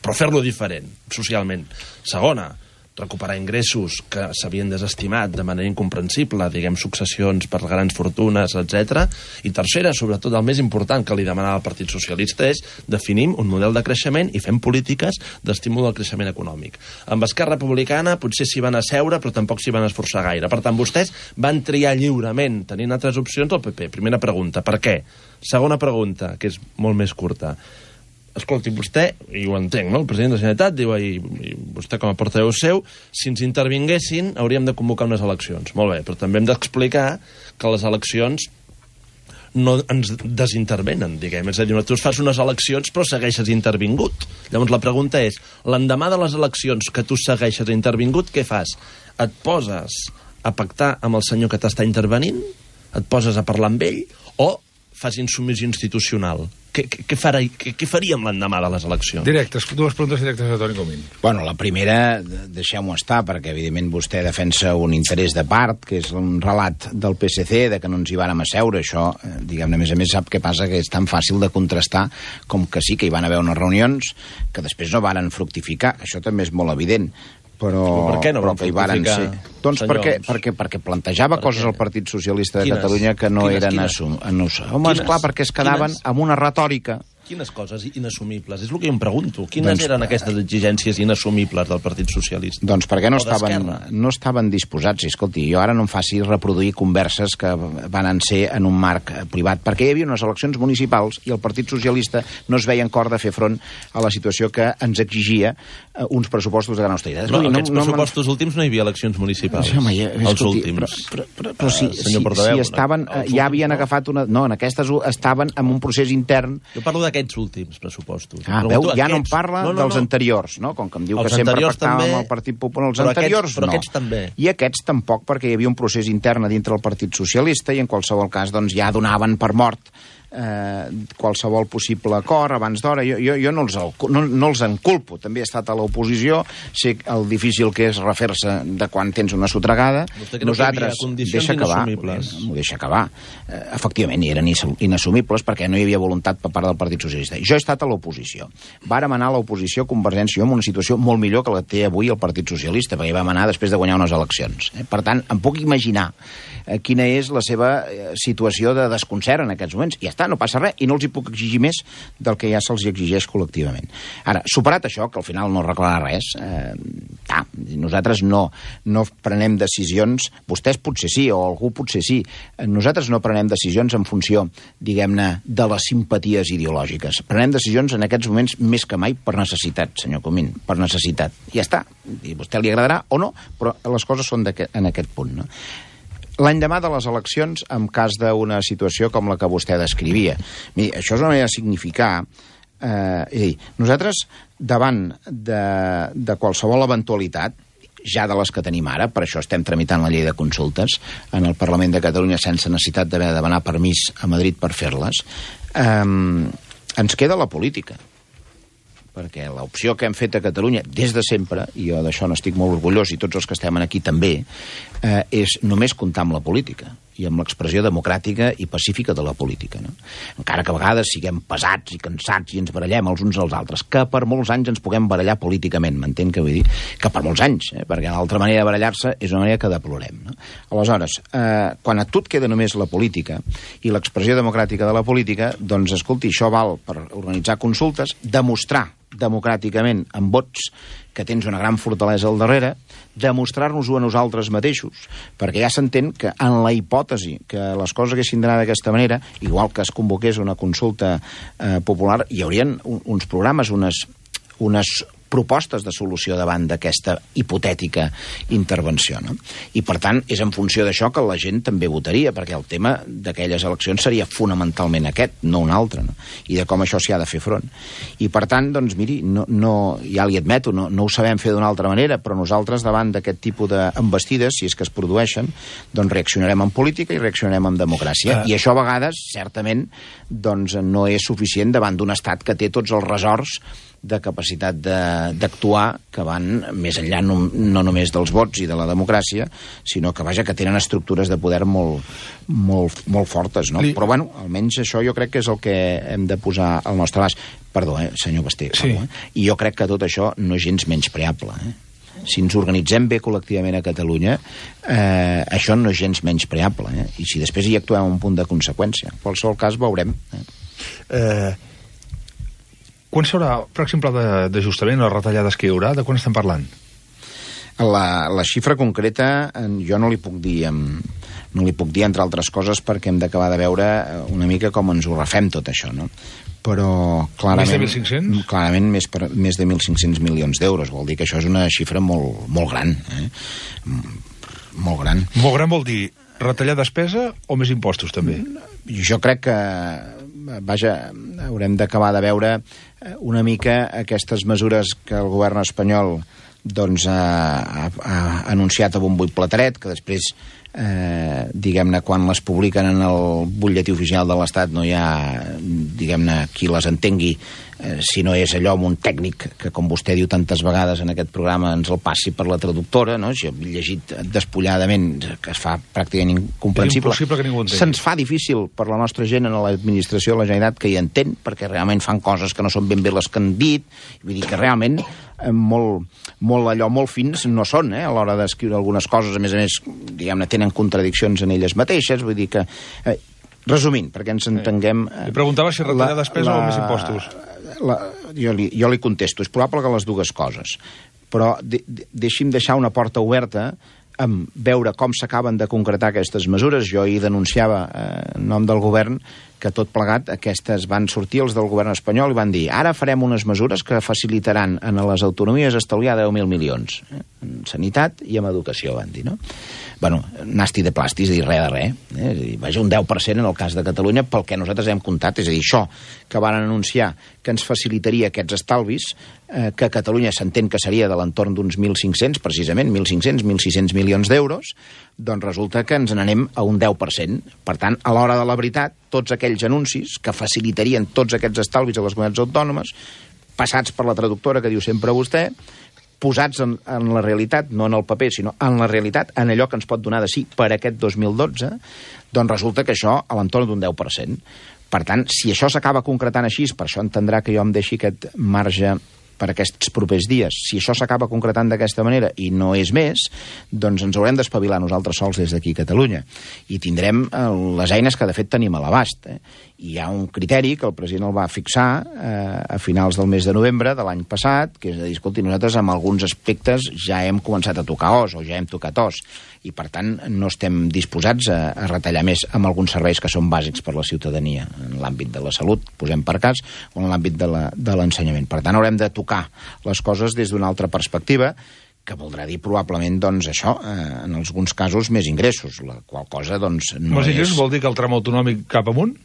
però fer-lo diferent, socialment. Segona, recuperar ingressos que s'havien desestimat de manera incomprensible, diguem, successions per grans fortunes, etcètera. I tercera, sobretot el més important que li demanava el Partit Socialista, és definim un model de creixement i fem polítiques d'estímul al creixement econòmic. Amb Esquerra Republicana potser s'hi van asseure, però tampoc s'hi van esforçar gaire. Per tant, vostès van triar lliurement, tenint altres opcions, el P P. Primera pregunta, per què? Segona pregunta, que és molt més curta. Escolti, vostè, i ho entenc, no? El president de la Generalitat diu, i, i vostè com a portaveu seu, si ens intervinguessin hauríem de convocar unes eleccions. Molt bé, però també hem d'explicar que les eleccions no ens desintervenen, diguem. És a dir, tu fas unes eleccions però segueixes intervingut. Llavors la pregunta és, l'endemà de les eleccions que tu segueixes intervingut, què fas? Et poses a pactar amb el senyor que t'està intervenint? Et poses a parlar amb ell? O fas insubmissió institucional? Què, què, farà, què, què faríem l'endemà de les eleccions? Directes, dues preguntes directes a Toni Comín. Bueno, la primera, deixeu-m'ho estar, perquè evidentment vostè defensa un interès de part, que és un relat del P S C, de que no ens hi vàrem asseure. Això, diguem-ne, a més a més, sap què passa, que és tan fàcil de contrastar com que sí, que hi van haver unes reunions que després no varen fructificar. Això també és molt evident. Però, però per què no però van que hi varen ser. Doncs perquè, perquè, perquè plantejava per coses al Partit Socialista de quines? Catalunya que no quines, eren assumibles. Home, esclar, perquè es quedaven quines? amb una retòrica. Quines coses inassumibles? És el que jo em pregunto. Quines doncs, eren aquestes exigències inassumibles del Partit Socialista? Doncs perquè no estaven, no estaven disposats. I, escolti, jo ara no em faci reproduir converses que van ser en un marc privat, perquè hi havia unes eleccions municipals i el Partit Socialista no es veia en cor de fer front a la situació que ens exigia uns pressupostos de gran austeritat. No, no, aquests no, pressupostos no, últims no hi havia eleccions municipals. Sí, home, ja, els escolti, últims. Però, però, però, però si, uh, si, Portaveu, si estaven, no, ja havien agafat una... No, en aquestes estaven en un procés intern. Jo parlo d'aquests últims pressupostos. Ah, veu, ja no em parla no, no, dels no. anteriors, no? Com que em diu els que sempre pactàvem també, amb el Partit Popular. Els però anteriors aquests, però no. Aquests també. I aquests tampoc, perquè hi havia un procés intern a dintre del Partit Socialista i en qualsevol cas doncs, ja donaven per mort eh, qualsevol possible acord abans d'hora. Jo, jo, jo no, els, no, no els enculpo. També he estat a l'oposició, sé el difícil que és refer-se de quan tens una sotregada. Nosaltres, deixa acabar, m'ho deixa acabar. Eh, efectivament, hi eren inassumibles perquè no hi havia voluntat per part del Partit Socialista. Jo he estat a l'oposició. Vàrem anar a l'oposició Convergència en una situació molt millor que la té avui el Partit Socialista, perquè hi vam anar després de guanyar unes eleccions. Eh? Per tant, em puc imaginar eh, quina és la seva eh, situació de desconcert en aquests moments. I ja està, no passa res, i no els hi puc exigir més del que ja se'ls exigeix col·lectivament. Ara, superat això, que al final no arreglarà res, eh, ah, nosaltres no, no prenem decisions, vostès potser sí, o algú potser sí, nosaltres no prenem decisions en funció, diguem-ne, de les simpaties ideològiques. Prenem decisions en aquests moments més que mai per necessitat, senyor Comín, per necessitat. I ja està. I a vostè li agradarà o no, però les coses són en aquest punt, no? L'endemà de les eleccions, en cas d'una situació com la que vostè descrivia. Miri, això és una manera de significar... Eh, és a dir, nosaltres, davant de, de qualsevol eventualitat, ja de les que tenim ara, per això estem tramitant la llei de consultes en el Parlament de Catalunya sense necessitat d'haver de demanar permís a Madrid per fer-les, eh, ens queda la política. Perquè l'opció que hem fet a Catalunya des de sempre, i jo d'això n'estic molt orgullós i tots els que estem aquí també, eh, és només comptar amb la política i amb l'expressió democràtica i pacífica de la política. No? Encara que a vegades siguem pesats i cansats i ens barallem els uns als altres, que per molts anys ens puguem barallar políticament, m'entén què vull dir? Que per molts anys, eh? Perquè l'altra manera de barallar-se és una manera que deplorem. No? Aleshores, eh, quan a tu et queda només la política i l'expressió democràtica de la política, doncs, escolti, això val per organitzar consultes, demostrar democràticament amb vots, que tens una gran fortalesa al darrere, demostrar-nos-ho a nosaltres mateixos, perquè ja s'entén que en la hipòtesi que les coses haguessin d'anar d'aquesta manera, igual que es convoqués una consulta eh, popular, hi haurien un, uns programes, unes, unes propostes de solució davant d'aquesta hipotètica intervenció, no? I, per tant, és en funció d'això que la gent també votaria, perquè el tema d'aquelles eleccions seria fonamentalment aquest, no un altre, no? I de com això s'hi ha de fer front. I, per tant, doncs, miri, no, no, ja li admeto, no, no ho sabem fer d'una altra manera, però nosaltres, davant d'aquest tipus d'embestides, si és que es produeixen, doncs reaccionarem en política i reaccionarem en democràcia. Uh. I això, a vegades, certament, doncs, no és suficient davant d'un estat que té tots els ressorts de capacitat d'actuar que van més enllà no, no només dels vots i de la democràcia, sinó que, vaja, que tenen estructures de poder molt, molt, molt fortes, no? Li... Però, bueno, almenys això jo crec que és el que hem de posar al nostre abast. Perdó, eh, senyor Basté. Sí. Perdó, eh? I jo crec que tot això no és gens menyspreable, eh? Si ens organitzem bé col·lectivament a Catalunya, eh, això no és gens menyspreable, eh? I si després hi actuem a un punt de conseqüència. En qualsevol cas, veurem. Eh? Eh... Quan s'haurà, per exemple, d'ajustament, les retallades que hi haurà? De quan estem parlant? La, la xifra concreta jo no li puc dir, no li puc dir, entre altres coses, perquè hem d'acabar de veure una mica com ens ho refem tot això, no? Però clarament... Més de mil cinc-cents? Clarament més, per, més de mil cinc-cents milions d'euros. Vol dir que això és una xifra molt, molt gran, eh? Molt gran. Molt gran vol dir retallar despesa o més impostos, també? Jo crec que, vaja, haurem d'acabar de veure una mica aquestes mesures que el govern espanyol doncs, ha, ha anunciat a bombo i plateret, que després, eh, diguem-ne, quan les publiquen en el butlletí oficial de l'Estat no hi ha, diguem-ne, qui les entengui, eh, si no és allò amb un tècnic que, com vostè diu tantes vegades en aquest programa, ens el passi per la traductora, no? Si he llegit despulladament, que es fa pràcticament incomprensible. És impossible que ningú entengui. Se'ns fa difícil per la nostra gent en l'administració de la Generalitat que hi entén, perquè realment fan coses que no són ben bé les que han dit, vull dir que realment eh, molt, molt allò, molt fins no són, eh, a l'hora d'escriure algunes coses, a més a més, diguem-ne, tenen contradiccions en elles mateixes, vull dir que... Eh, resumint, perquè ens entenguem... Eh, li preguntava si retallar la, despesa la, o més impostos. La, jo, li, jo li contesto, és probable que les dues coses, però de, de, deixi'm deixar una porta oberta amb veure com s'acaben de concretar aquestes mesures. Jo hi denunciava eh, en nom del govern que tot plegat aquestes van sortir els del govern espanyol i van dir ara farem unes mesures que facilitaran a les autonomies estalviar deu mil milions eh, en sanitat i en educació, van dir, no? Bueno, nasti de plàstic, és a dir, res de res. Eh? És a dir, vaja, un deu per cent en el cas de Catalunya pel que nosaltres hem comptat, és a dir, això que van anunciar que ens facilitaria aquests estalvis, eh, que a Catalunya s'entén que seria de l'entorn d'uns mil cinc-cents, precisament, mil cinc-cents, mil sis-cents milions d'euros, doncs resulta que ens n'anem a un deu per cent. Per tant, a l'hora de la veritat, tots aquells anuncis que facilitarien tots aquests estalvis a les comunitats autònomes, passats per la traductora que diu sempre vostè, posats en, en la realitat, no en el paper, sinó en la realitat, en allò que ens pot donar de sí per aquest dos mil dotze, doncs resulta que això a l'entorn d'un deu per cent. Per tant, si això s'acaba concretant així, per això entendrà que jo em deixi aquest marge per aquests propers dies. Si això s'acaba concretant d'aquesta manera i no és més, doncs ens haurem d'espavilar nosaltres sols des d'aquí a Catalunya. I tindrem eh, les eines que de fet tenim a l'abast. Eh? Hi ha un criteri que el president el va fixar eh, a finals del mes de novembre de l'any passat, que és a dir, escolti, nosaltres en alguns aspectes ja hem començat a tocar os o ja hem tocat os i per tant no estem disposats a, a retallar més amb alguns serveis que són bàsics per la ciutadania, en l'àmbit de la salut, posem per cas, o en l'àmbit de l'ensenyament. Per tant, haurem de tocar les coses des d'una altra perspectiva, que voldrà dir probablement, doncs, això, eh, en alguns casos, més ingressos, la qual cosa, doncs, no més és... ingressos vol dir que el tram autonòmic cap amunt?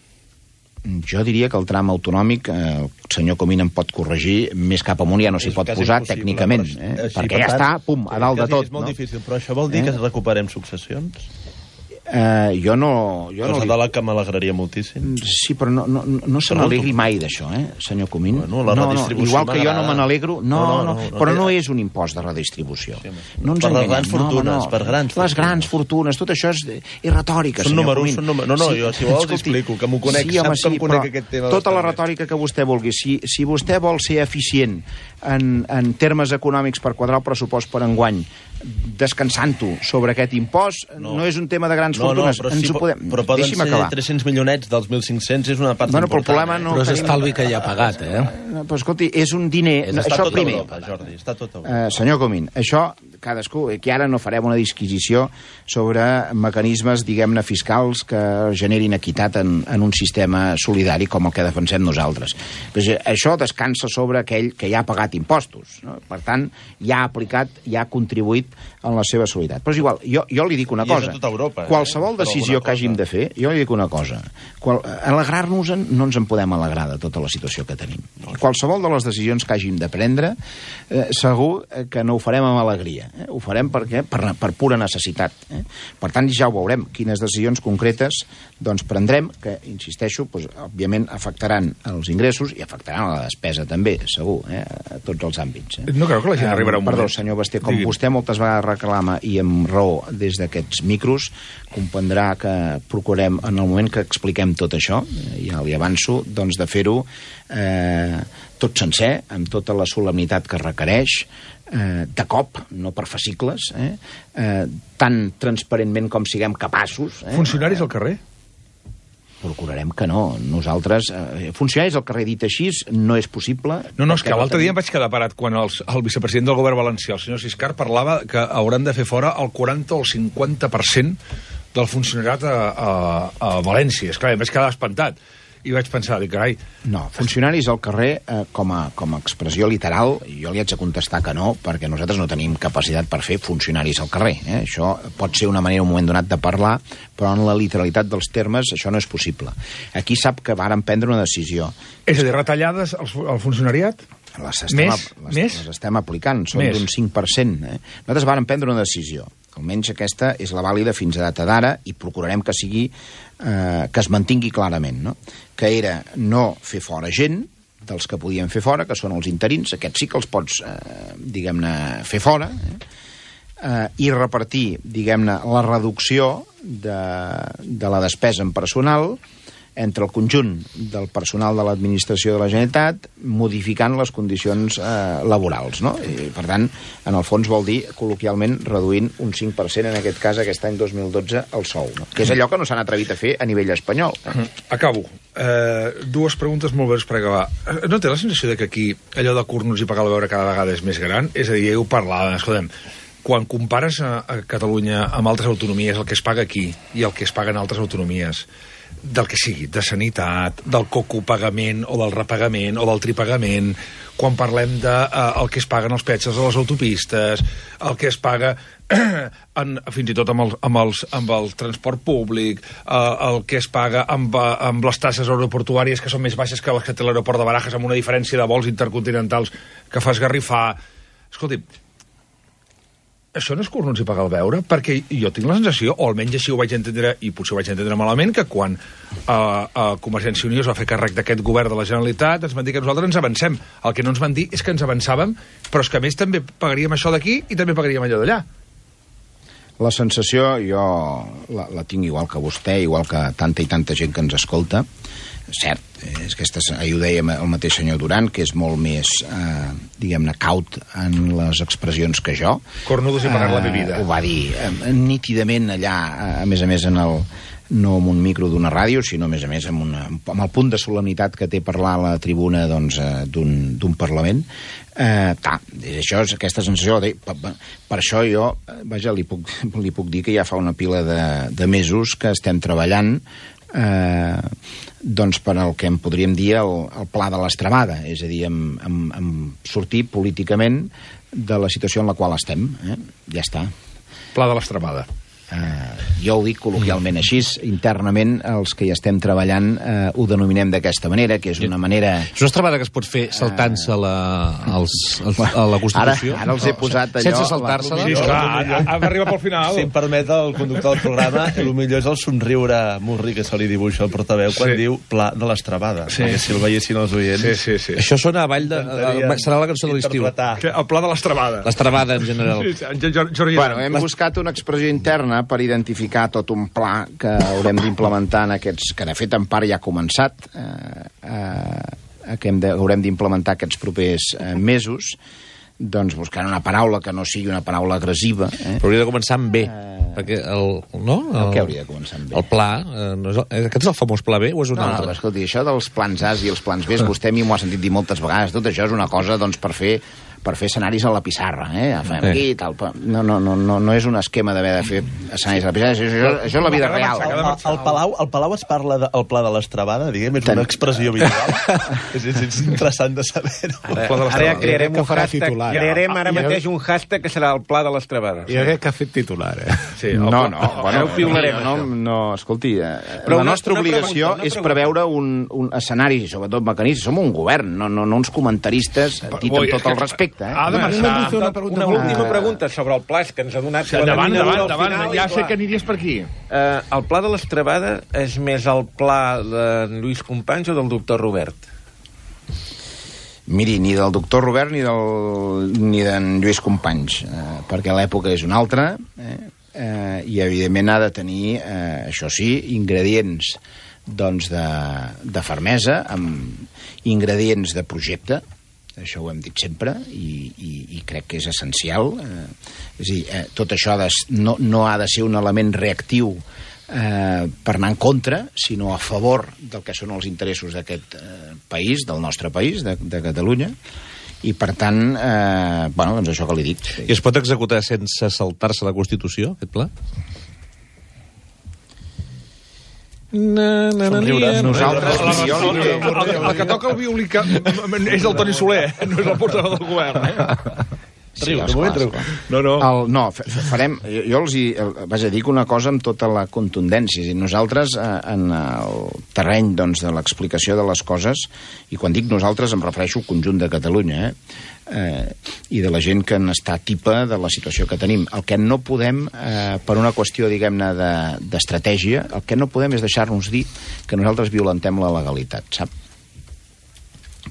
Jo diria que el tram autonòmic, eh, el senyor Comín em pot corregir, més cap amunt ja no s'hi pot posar tècnicament, eh? Així, perquè per ja tant, està, pum, a dalt de tot. És molt no? difícil, però això vol dir eh? que recuperem successions? Eh, jo no... Jo Cosa no li... de la que m'alegraria moltíssim. Sí, però no, no, no se n'alegri mai d'això, eh, senyor Comín. Bueno, la no, no, igual que jo no me n'alegro... No, no, no, no, no, però no és un impost de redistribució. Sí, no ens per les grans fortunes, no, no. per grans Les grans fortunes, tot això és, és retòrica, són senyor números, Comín. Són números, no, no, sí, jo si vols escolti, explico, que m'ho conec, sí, home, sap que sí, em conec aquest tema. Tota la retòrica que vostè vulgui. Si, si vostè vol ser eficient en, en termes econòmics per quadrar el pressupost per enguany, descansant-ho sobre aquest impost, no, no és un tema de grans no, fortunes. No, però, Ens sí, ho podem... però poden Deixi'm ser acabar. tres-cents milionets dels mil cinc-cents, és una part bueno, important. Però, el problema no però és tenim... estalvi que ja ha pagat, eh? Però, escolti, és un diner... És, està això tot primer. Europa, Jordi, està tot Europa. Uh, senyor Comín, això cadascú, que ara no farem una disquisició sobre mecanismes, diguem-ne, fiscals que generin equitat en, en un sistema solidari com el que defensem nosaltres. Pues, això descansa sobre aquell que ja ha pagat impostos, no? Per tant, ja ha aplicat, ja ha contribuït en la seva solidaritat. Però és igual, jo, jo li dic una I és cosa. a tota Europa, eh? Qualsevol Per decisió alguna que hàgim cosa. de fer, jo li dic una cosa. Qual, alegrar-nos no ens en podem alegrar de tota la situació que tenim. Qualsevol de les decisions que hàgim de prendre, eh, segur que no ho farem amb alegria. Eh? Ho farem perquè, per, per pura necessitat. Eh? Per tant, ja ho veurem, quines decisions concretes doncs, prendrem, que, insisteixo, doncs, òbviament afectaran els ingressos i afectaran la despesa també, segur, eh? A tots els àmbits. Eh? No creu que la gent Eh, arribarà un Perdó, moment... senyor Basté, com Digui'm. vostè moltes vegades reclama, i amb raó des d'aquests micros, comprendrà que procurem, en el moment que expliquem tot això, eh, ja li avanço, doncs de fer-ho eh, tot sencer, amb tota la solemnitat que requereix, eh, de cop, no per fascicles, eh, eh, tan transparentment com siguem capaços. Eh, Funcionaris al carrer? Procurarem que no. Nosaltres, eh, funcionaris al carrer dit així, no és possible. No, no, és que perquè l'altre dia em tenim- vaig quedar parat quan els, el vicepresident del govern valencià, el senyor Siscar, parlava que hauran de fer fora el quaranta o el cinquanta per cent del funcionariat a, a, a València. Esclar, em vaig quedar espantat. I vaig pensar, dic, carai... No, funcionaris al carrer, eh, com, a, com a expressió literal, jo li haig de contestar que no, perquè nosaltres no tenim capacitat per fer funcionaris al carrer. Eh? Això pot ser una manera, un moment donat, de parlar, però en la literalitat dels termes això no és possible. Aquí sap que varen prendre una decisió. És a dir, retallades al, al funcionariat? Les estem, Més? les, Més? les estem aplicant, són Més? d'un cinc per cent. Eh? Nosaltres vàrem prendre una decisió. Almenys aquesta és la vàlida fins a data d'ara i procurarem que sigui eh, que es mantingui clarament, no? Que era no fer fora gent dels que podien fer fora, que són els interins, aquests sí que els pots, eh, diguem-ne, fer fora, eh? Eh, i repartir, diguem-ne, la reducció de, de la despesa en personal entre el conjunt del personal de l'administració de la Generalitat, modificant les condicions eh, laborals, no? I, per tant, en el fons vol dir, col·loquialment, reduint un cinc per cent, en aquest cas, aquest any dos mil dotze, el sou, no? Que és allò que no s'han atrevit a fer a nivell espanyol. Acabo. Eh, dues preguntes molt breus per acabar. Eh, No té la sensació de que aquí allò de curnos i pagar la beure cada vegada és més gran? És a dir, ja ho parlàvem, escoltem, quan compares a, a Catalunya amb altres autonomies, el que es paga aquí i el que es paga en altres autonomies, del que sigui, de sanitat, del cocopagament o del repagament o del tripagament, quan parlem de eh, el que es paguen els peatges a les autopistes, el que es paga en, fins i tot amb el, amb els, amb el transport públic, eh, el que es paga amb, eh, amb les tasses aeroportuàries que són més baixes que les que té l'aeroport de Barajas, amb una diferència de vols intercontinentals que fa esgarrifar. Escolti, això no és curnos i pagar el beure? Perquè jo tinc la sensació, o almenys així ho vaig entendre, i potser ho vaig entendre malament, que quan eh, uh, Convergència i Unió es va fer càrrec d'aquest govern de la Generalitat, ens van dir que nosaltres ens avancem. El que no ens van dir és que ens avançàvem, però és que a més també pagaríem això d'aquí i també pagaríem allò d'allà. La sensació, jo la, la tinc igual que vostè, igual que tanta i tanta gent que ens escolta. Cert, és que aquestes, ahir ho deia el mateix senyor Duran, que és molt més, eh, diguem-ne, caut en les expressions que jo. Cornudos i pagar eh, la bebida. Ho va dir eh, nítidament allà, a més a més, en el, no amb un micro d'una ràdio, sinó a més a més amb, una, amb el punt de solemnitat que té parlar a la tribuna doncs, eh, d'un Parlament. Eh, ta, això és aquesta sensació de, per, per això jo, vaja, li puc, li puc dir que ja fa una pila de, de mesos que estem treballant eh, doncs per al que en podríem dir el, el pla de l'estrabada, és a dir, en, en, en sortir políticament de la situació en la qual estem. Eh? Ja està. Pla de l'estrabada. Eh, jo ho dic col·loquialment així, internament els que hi estem treballant eh, ho denominem d'aquesta manera, que és una manera... És una estrabada que es pot fer saltant-se la, als, als, a la Constitució? Ara, ara els he posat allò... Sense saltar-se-la? Sí, esclar, hem d'arribar pel final. Si em permet el conductor del programa, el millor és el somriure murri que se li dibuixa al portaveu quan Sí. diu pla de l'estrabada. Sí. Perquè si el veiessin els oients... Sí, sí, sí. Això sona a ball de... intentaríem Serà la cançó de l'estiu. interpretar. Que el pla de l'estrabada. L'estrabada, en general. Sí, sí, Jordi, Bueno, hem buscat una expressió interna per identificar tot un pla que haurem d'implementar en aquests... que de fet en part ja ha començat, eh, eh, que hem de, haurem d'implementar aquests propers eh, mesos, doncs buscant una paraula que no sigui una paraula agressiva. Eh? Però hauria de començar amb B, uh... perquè el... No? El, el què hauria de començar amb B? El pla, eh, no és el, aquest és el famós pla B o és un no, altre? No, escolti, això dels plans A i els plans B, vostè a mi m'ho ha sentit dir moltes vegades, tot això és una cosa, doncs, per fer per fer escenaris a la pissarra, eh? Fem aquí i tal. No, no, no, no, no és un esquema d'haver de fer escenaris a la pissarra, això, això, això és la vida real. El, el, Palau, el Palau es parla del de, pla de l'Estrabada, diguem, és una expressió habitual. és, és, és interessant de saber-ho. Ara, ara ja crearem un hashtag, titular. crearem ara mateix un hashtag que serà el pla de l'Estrabada. Jo crec que ha fet titular, eh? Sí, no, no, bueno, no, no, escolti, però la nostra obligació és preveure un, un escenari, sobretot mecanisme, som un govern, no, no, no uns comentaristes, dit amb tot el respecte. Ha de marxar. Una, una última pregunta sobre el pla que ens ha donat... Sí, davant, davant, davant, ja sé que aniries per aquí. Uh, el pla de l'Estrabada és més el pla de Lluís Companys o del doctor Robert? Miri, ni del doctor Robert ni del ni d'en Lluís Companys, eh, perquè l'època és una altra, eh, eh, i evidentment ha de tenir, eh, això sí, ingredients doncs de, de fermesa, amb ingredients de projecte. Això ho hem dit sempre i, i, i crec que és essencial. Eh, és a dir, eh, tot això ha de, no, no ha de ser un element reactiu eh, per anar en contra, sinó a favor del que són els interessos d'aquest eh, país, del nostre país, de, de Catalunya, i per tant, eh, bueno, doncs això que li dic. I es pot executar sense saltar-se la Constitució, aquest pla? Na, na, na, na, nosaltres el que toca el violí és el Toni Soler, no és el portaveu del govern, eh? Sí, esclar, esclar. No, no. El, no, farem... Jo, jo els hi... Vaja, dic una cosa amb tota la contundència. I nosaltres, eh, en el terreny doncs, de l'explicació de les coses, i quan dic nosaltres em refereixo al conjunt de Catalunya, eh? Eh, i de la gent que n'està tipa de la situació que tenim. El que no podem, eh, per una qüestió, diguem-ne, d'estratègia, el que no podem és deixar-nos dir que nosaltres violentem la legalitat, sap?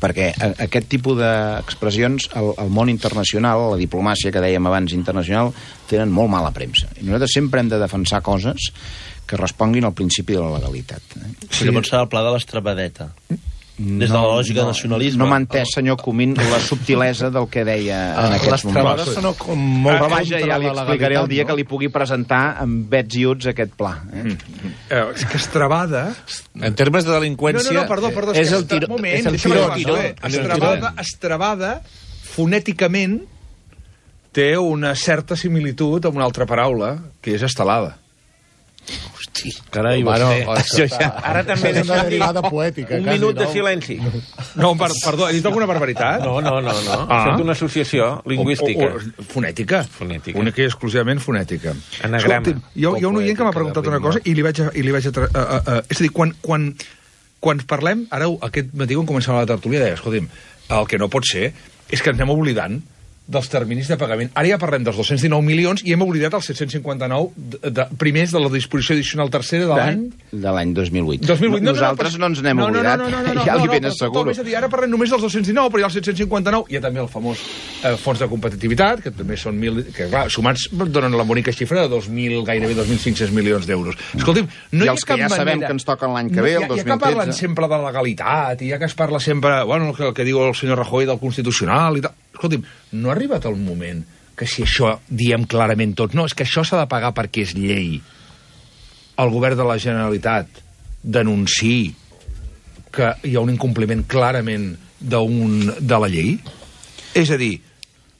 Perquè aquest tipus d'expressions al, al món internacional, la diplomàcia que dèiem abans internacional, tenen molt mala premsa. I nosaltres sempre hem de defensar coses que responguin al principi de la legalitat. Eh? Sí. Llavors serà el pla de l'Estrabadeta. Des de la lògica no, de nacionalisme. No m'ha entès, senyor Comín, la subtilesa del que deia ah, en aquests moments. Les sona com molt ah, vaja, ja li explicaré el dia no? que li pugui presentar amb bets i uts aquest pla. Eh? Mm. Eh, és que Estrabada... En termes de delinqüència... No, no, no, perdó, perdó. És, és el tiró. Moment, és el tiró. tiró. Estrabada, Estrabada, fonèticament, té una certa similitud amb una altra paraula, que és estelada. Hosti, carai, bueno, vostè... Ja... Ara també és una derivada poètica. Un quasi, minut no? de silenci. No, per, perdó, he dit alguna barbaritat? No, no, no, no. Ah. Això és una associació lingüística. O, o, o, fonètica. Fonètica. Única i exclusivament fonètica. Anagrama. Escolti, hi ha, hi ha un oient que m'ha preguntat una cosa i li vaig a... I li vaig a, a, a, a és a dir, quan, quan, quan parlem... Ara, aquest matí, quan començava la tertúlia, deia, escolti'm, el que no pot ser és que ens anem oblidant dels terminis de pagament. Ara ja parlem dels dos-cents dinou milions i hem oblidat els set-cents cinquanta-nou de, de, primers de la disposició addicional tercera de l'any... De l'any dos mil vuit. dos mil vuit. No, Nosaltres no, no, no ens n'hem no, oblidat. No, no, no, no, no, ja li no, ben no, asseguro. És a dir, ara parlem només dels dos-cents dinou, però hi ha els set-cents cinquanta-nou. Hi ha també el famós eh, fons de competitivitat, que també són mil... que clar, sumats donen la bonica xifra de dos mil, gairebé dos mil cinc-cents milions d'euros. Escolti'm, no I hi ha els cap que ja manera... sabem que ens toquen l'any que ve, el no, dos mil tretze. Ja que parlen sempre de legalitat, i ja que es parla sempre, bueno, el que, el que diu el senyor Rajoy del Constitucional i tal... Escolti'm, no ha arribat el moment que si això diem clarament tots, no, és que això s'ha de pagar perquè és llei. El govern de la Generalitat denunciï que hi ha un incompliment clarament d'un, de la llei? És a dir,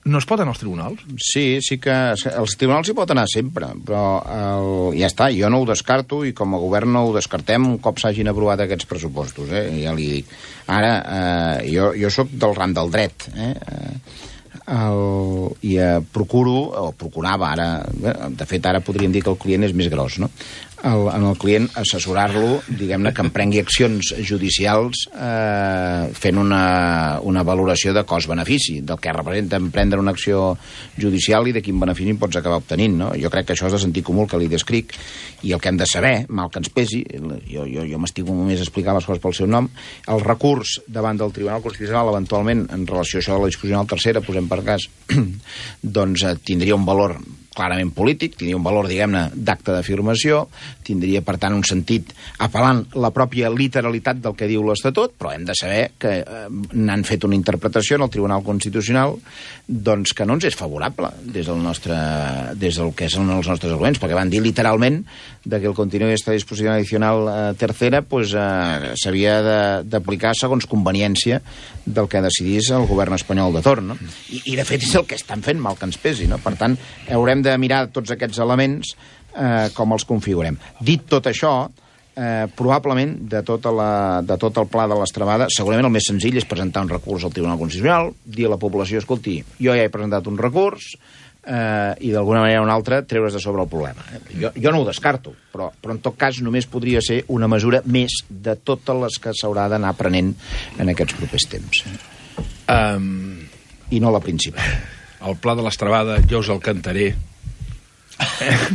no es pot anar als tribunals? Sí, sí que... Els tribunals hi pot anar sempre, però el, ja està, jo no ho descarto i com a govern no ho descartem un cop s'hagin aprovat aquests pressupostos, eh? Ja li dic. Ara, eh, jo, jo sóc del ram del dret, eh? El, i eh, procuro, o procurava ara, de fet ara podríem dir que el client és més gros, no? El, en el client assessorar-lo, diguem-ne, que emprengui accions judicials eh, fent una, una valoració de cost-benefici, del que representa emprendre una acció judicial i de quin benefici pots acabar obtenint, no? Jo crec que això és de sentit comú, que li descric, i el que hem de saber, mal que ens pesi, jo, jo, jo m'estimo només a explicar les coses pel seu nom, el recurs davant del Tribunal Constitucional, eventualment, en relació a això de la disposició tercera, posem per cas, doncs eh, tindria un valor clarament polític, tindria un valor, diguem-ne, d'acte d'afirmació, tindria, per tant, un sentit apel·lant la pròpia literalitat del que diu l'Estatut, però hem de saber que eh, n'han fet una interpretació en el Tribunal Constitucional doncs que no ens és favorable des del nostre, des del que són els nostres arguments, perquè van dir literalment de que el contingut d'esta disposició addicional eh, tercera pues, eh, s'havia d'aplicar segons conveniència del que decidís el govern espanyol de torn, no? I, i de fet és el que estan fent, mal que ens pesi, no? Per tant, haurem de mirar tots aquests elements eh, com els configurem. Dit tot això, eh, probablement de, tota la, de tot el pla de l'estrabada, segurament el més senzill és presentar un recurs al Tribunal Constitucional, dir a la població, escolti, jo ja he presentat un recurs eh, i d'alguna manera o una altra treure's de sobre el problema. Jo, jo no ho descarto, però, però en tot cas només podria ser una mesura més de totes les que s'haurà d'anar prenent en aquests propers temps. Um... I no la principal. El pla de l'estrabada, jo us el cantaré.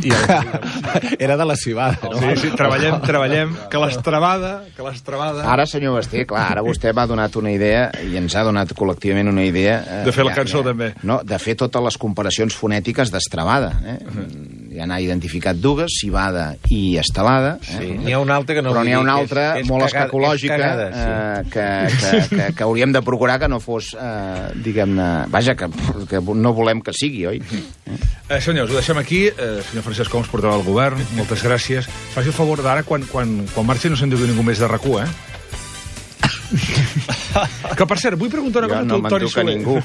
I el... Era de la cibada, no? Sí, sí, treballem, treballem, que l'estrabada, que l'estrabada... Ara, senyor Basté, clar, ara vostè m'ha donat una idea, i ens ha donat col·lectivament una idea... Eh, de fer la ja, cançó, ja, també. No, de fer totes les comparacions fonètiques d'estrabada. Eh? Uh -huh. Ja n'ha identificat dues, cibada i estelada. Eh? Sí, n'hi ha una altra que no Però n'hi ha una és- altra és molt cagada- especulògica és cagada, eh, que, que, que, que hauríem de procurar que no fos, eh, diguem-ne... Vaja, que, que no volem que sigui, oi? Eh, senyors, ho deixem aquí. Eh, senyor Francesc Homs, portaveu del govern, moltes gràcies. Faci el favor d'ara, quan, quan, quan marxi no se'n digui ningú més de RAC u, eh? Que, per cert, vull preguntar una Jo cosa no al me'n Toni duc a Soler. ningú.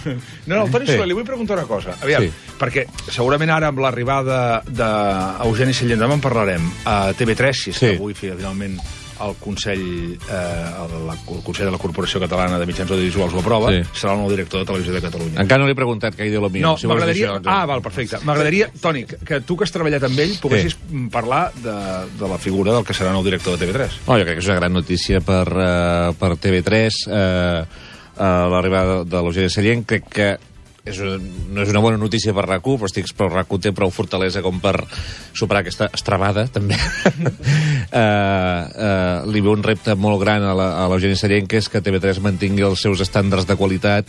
No, no, al Toni Sí. Soler li vull preguntar una cosa. Aviam, Sí. perquè segurament ara amb l'arribada d'Eugeni Sallent, demà en parlarem, a T V tres, si és Sí. que avui finalment el Consell, eh, el, la, el Consell de la Corporació Catalana de Mitjans Audiovisuals ho aprova, Sí. serà el nou director de Televisió de Catalunya. Encara no li he preguntat què idea la mia. No, si vols dir m'agradaria... això, doncs. Ah, val, perfecte. M'agradaria, Toni, que tu que has treballat amb ell poguessis sí. parlar de, de la figura del que serà nou director de T V tres. Oh, jo crec que és una gran notícia per, uh, per T V tres, uh, uh, l'arribada de l'Eugeni Sallent. Crec que és una, no és una bona notícia per RAC u, però estic, però RAC u té prou fortalesa com per superar aquesta estrabada, també. uh, uh, li veu un repte molt gran a la- a l'Eugeni Sallent, que és que T V tres mantingui els seus estàndards de qualitat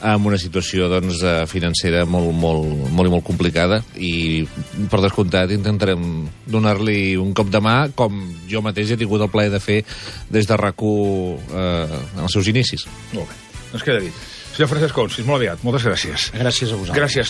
en una situació doncs, eh, financera molt, molt, molt i molt complicada, i per descomptat intentarem donar-li un cop de mà, com jo mateix he tingut el plaer de fer des de RAC u eh, en els seus inicis. Molt bé. Ens queda dit. Senyor Francesc Homs, fins molt aviat. Moltes gràcies. Gràcies a vosaltres. Gràcies.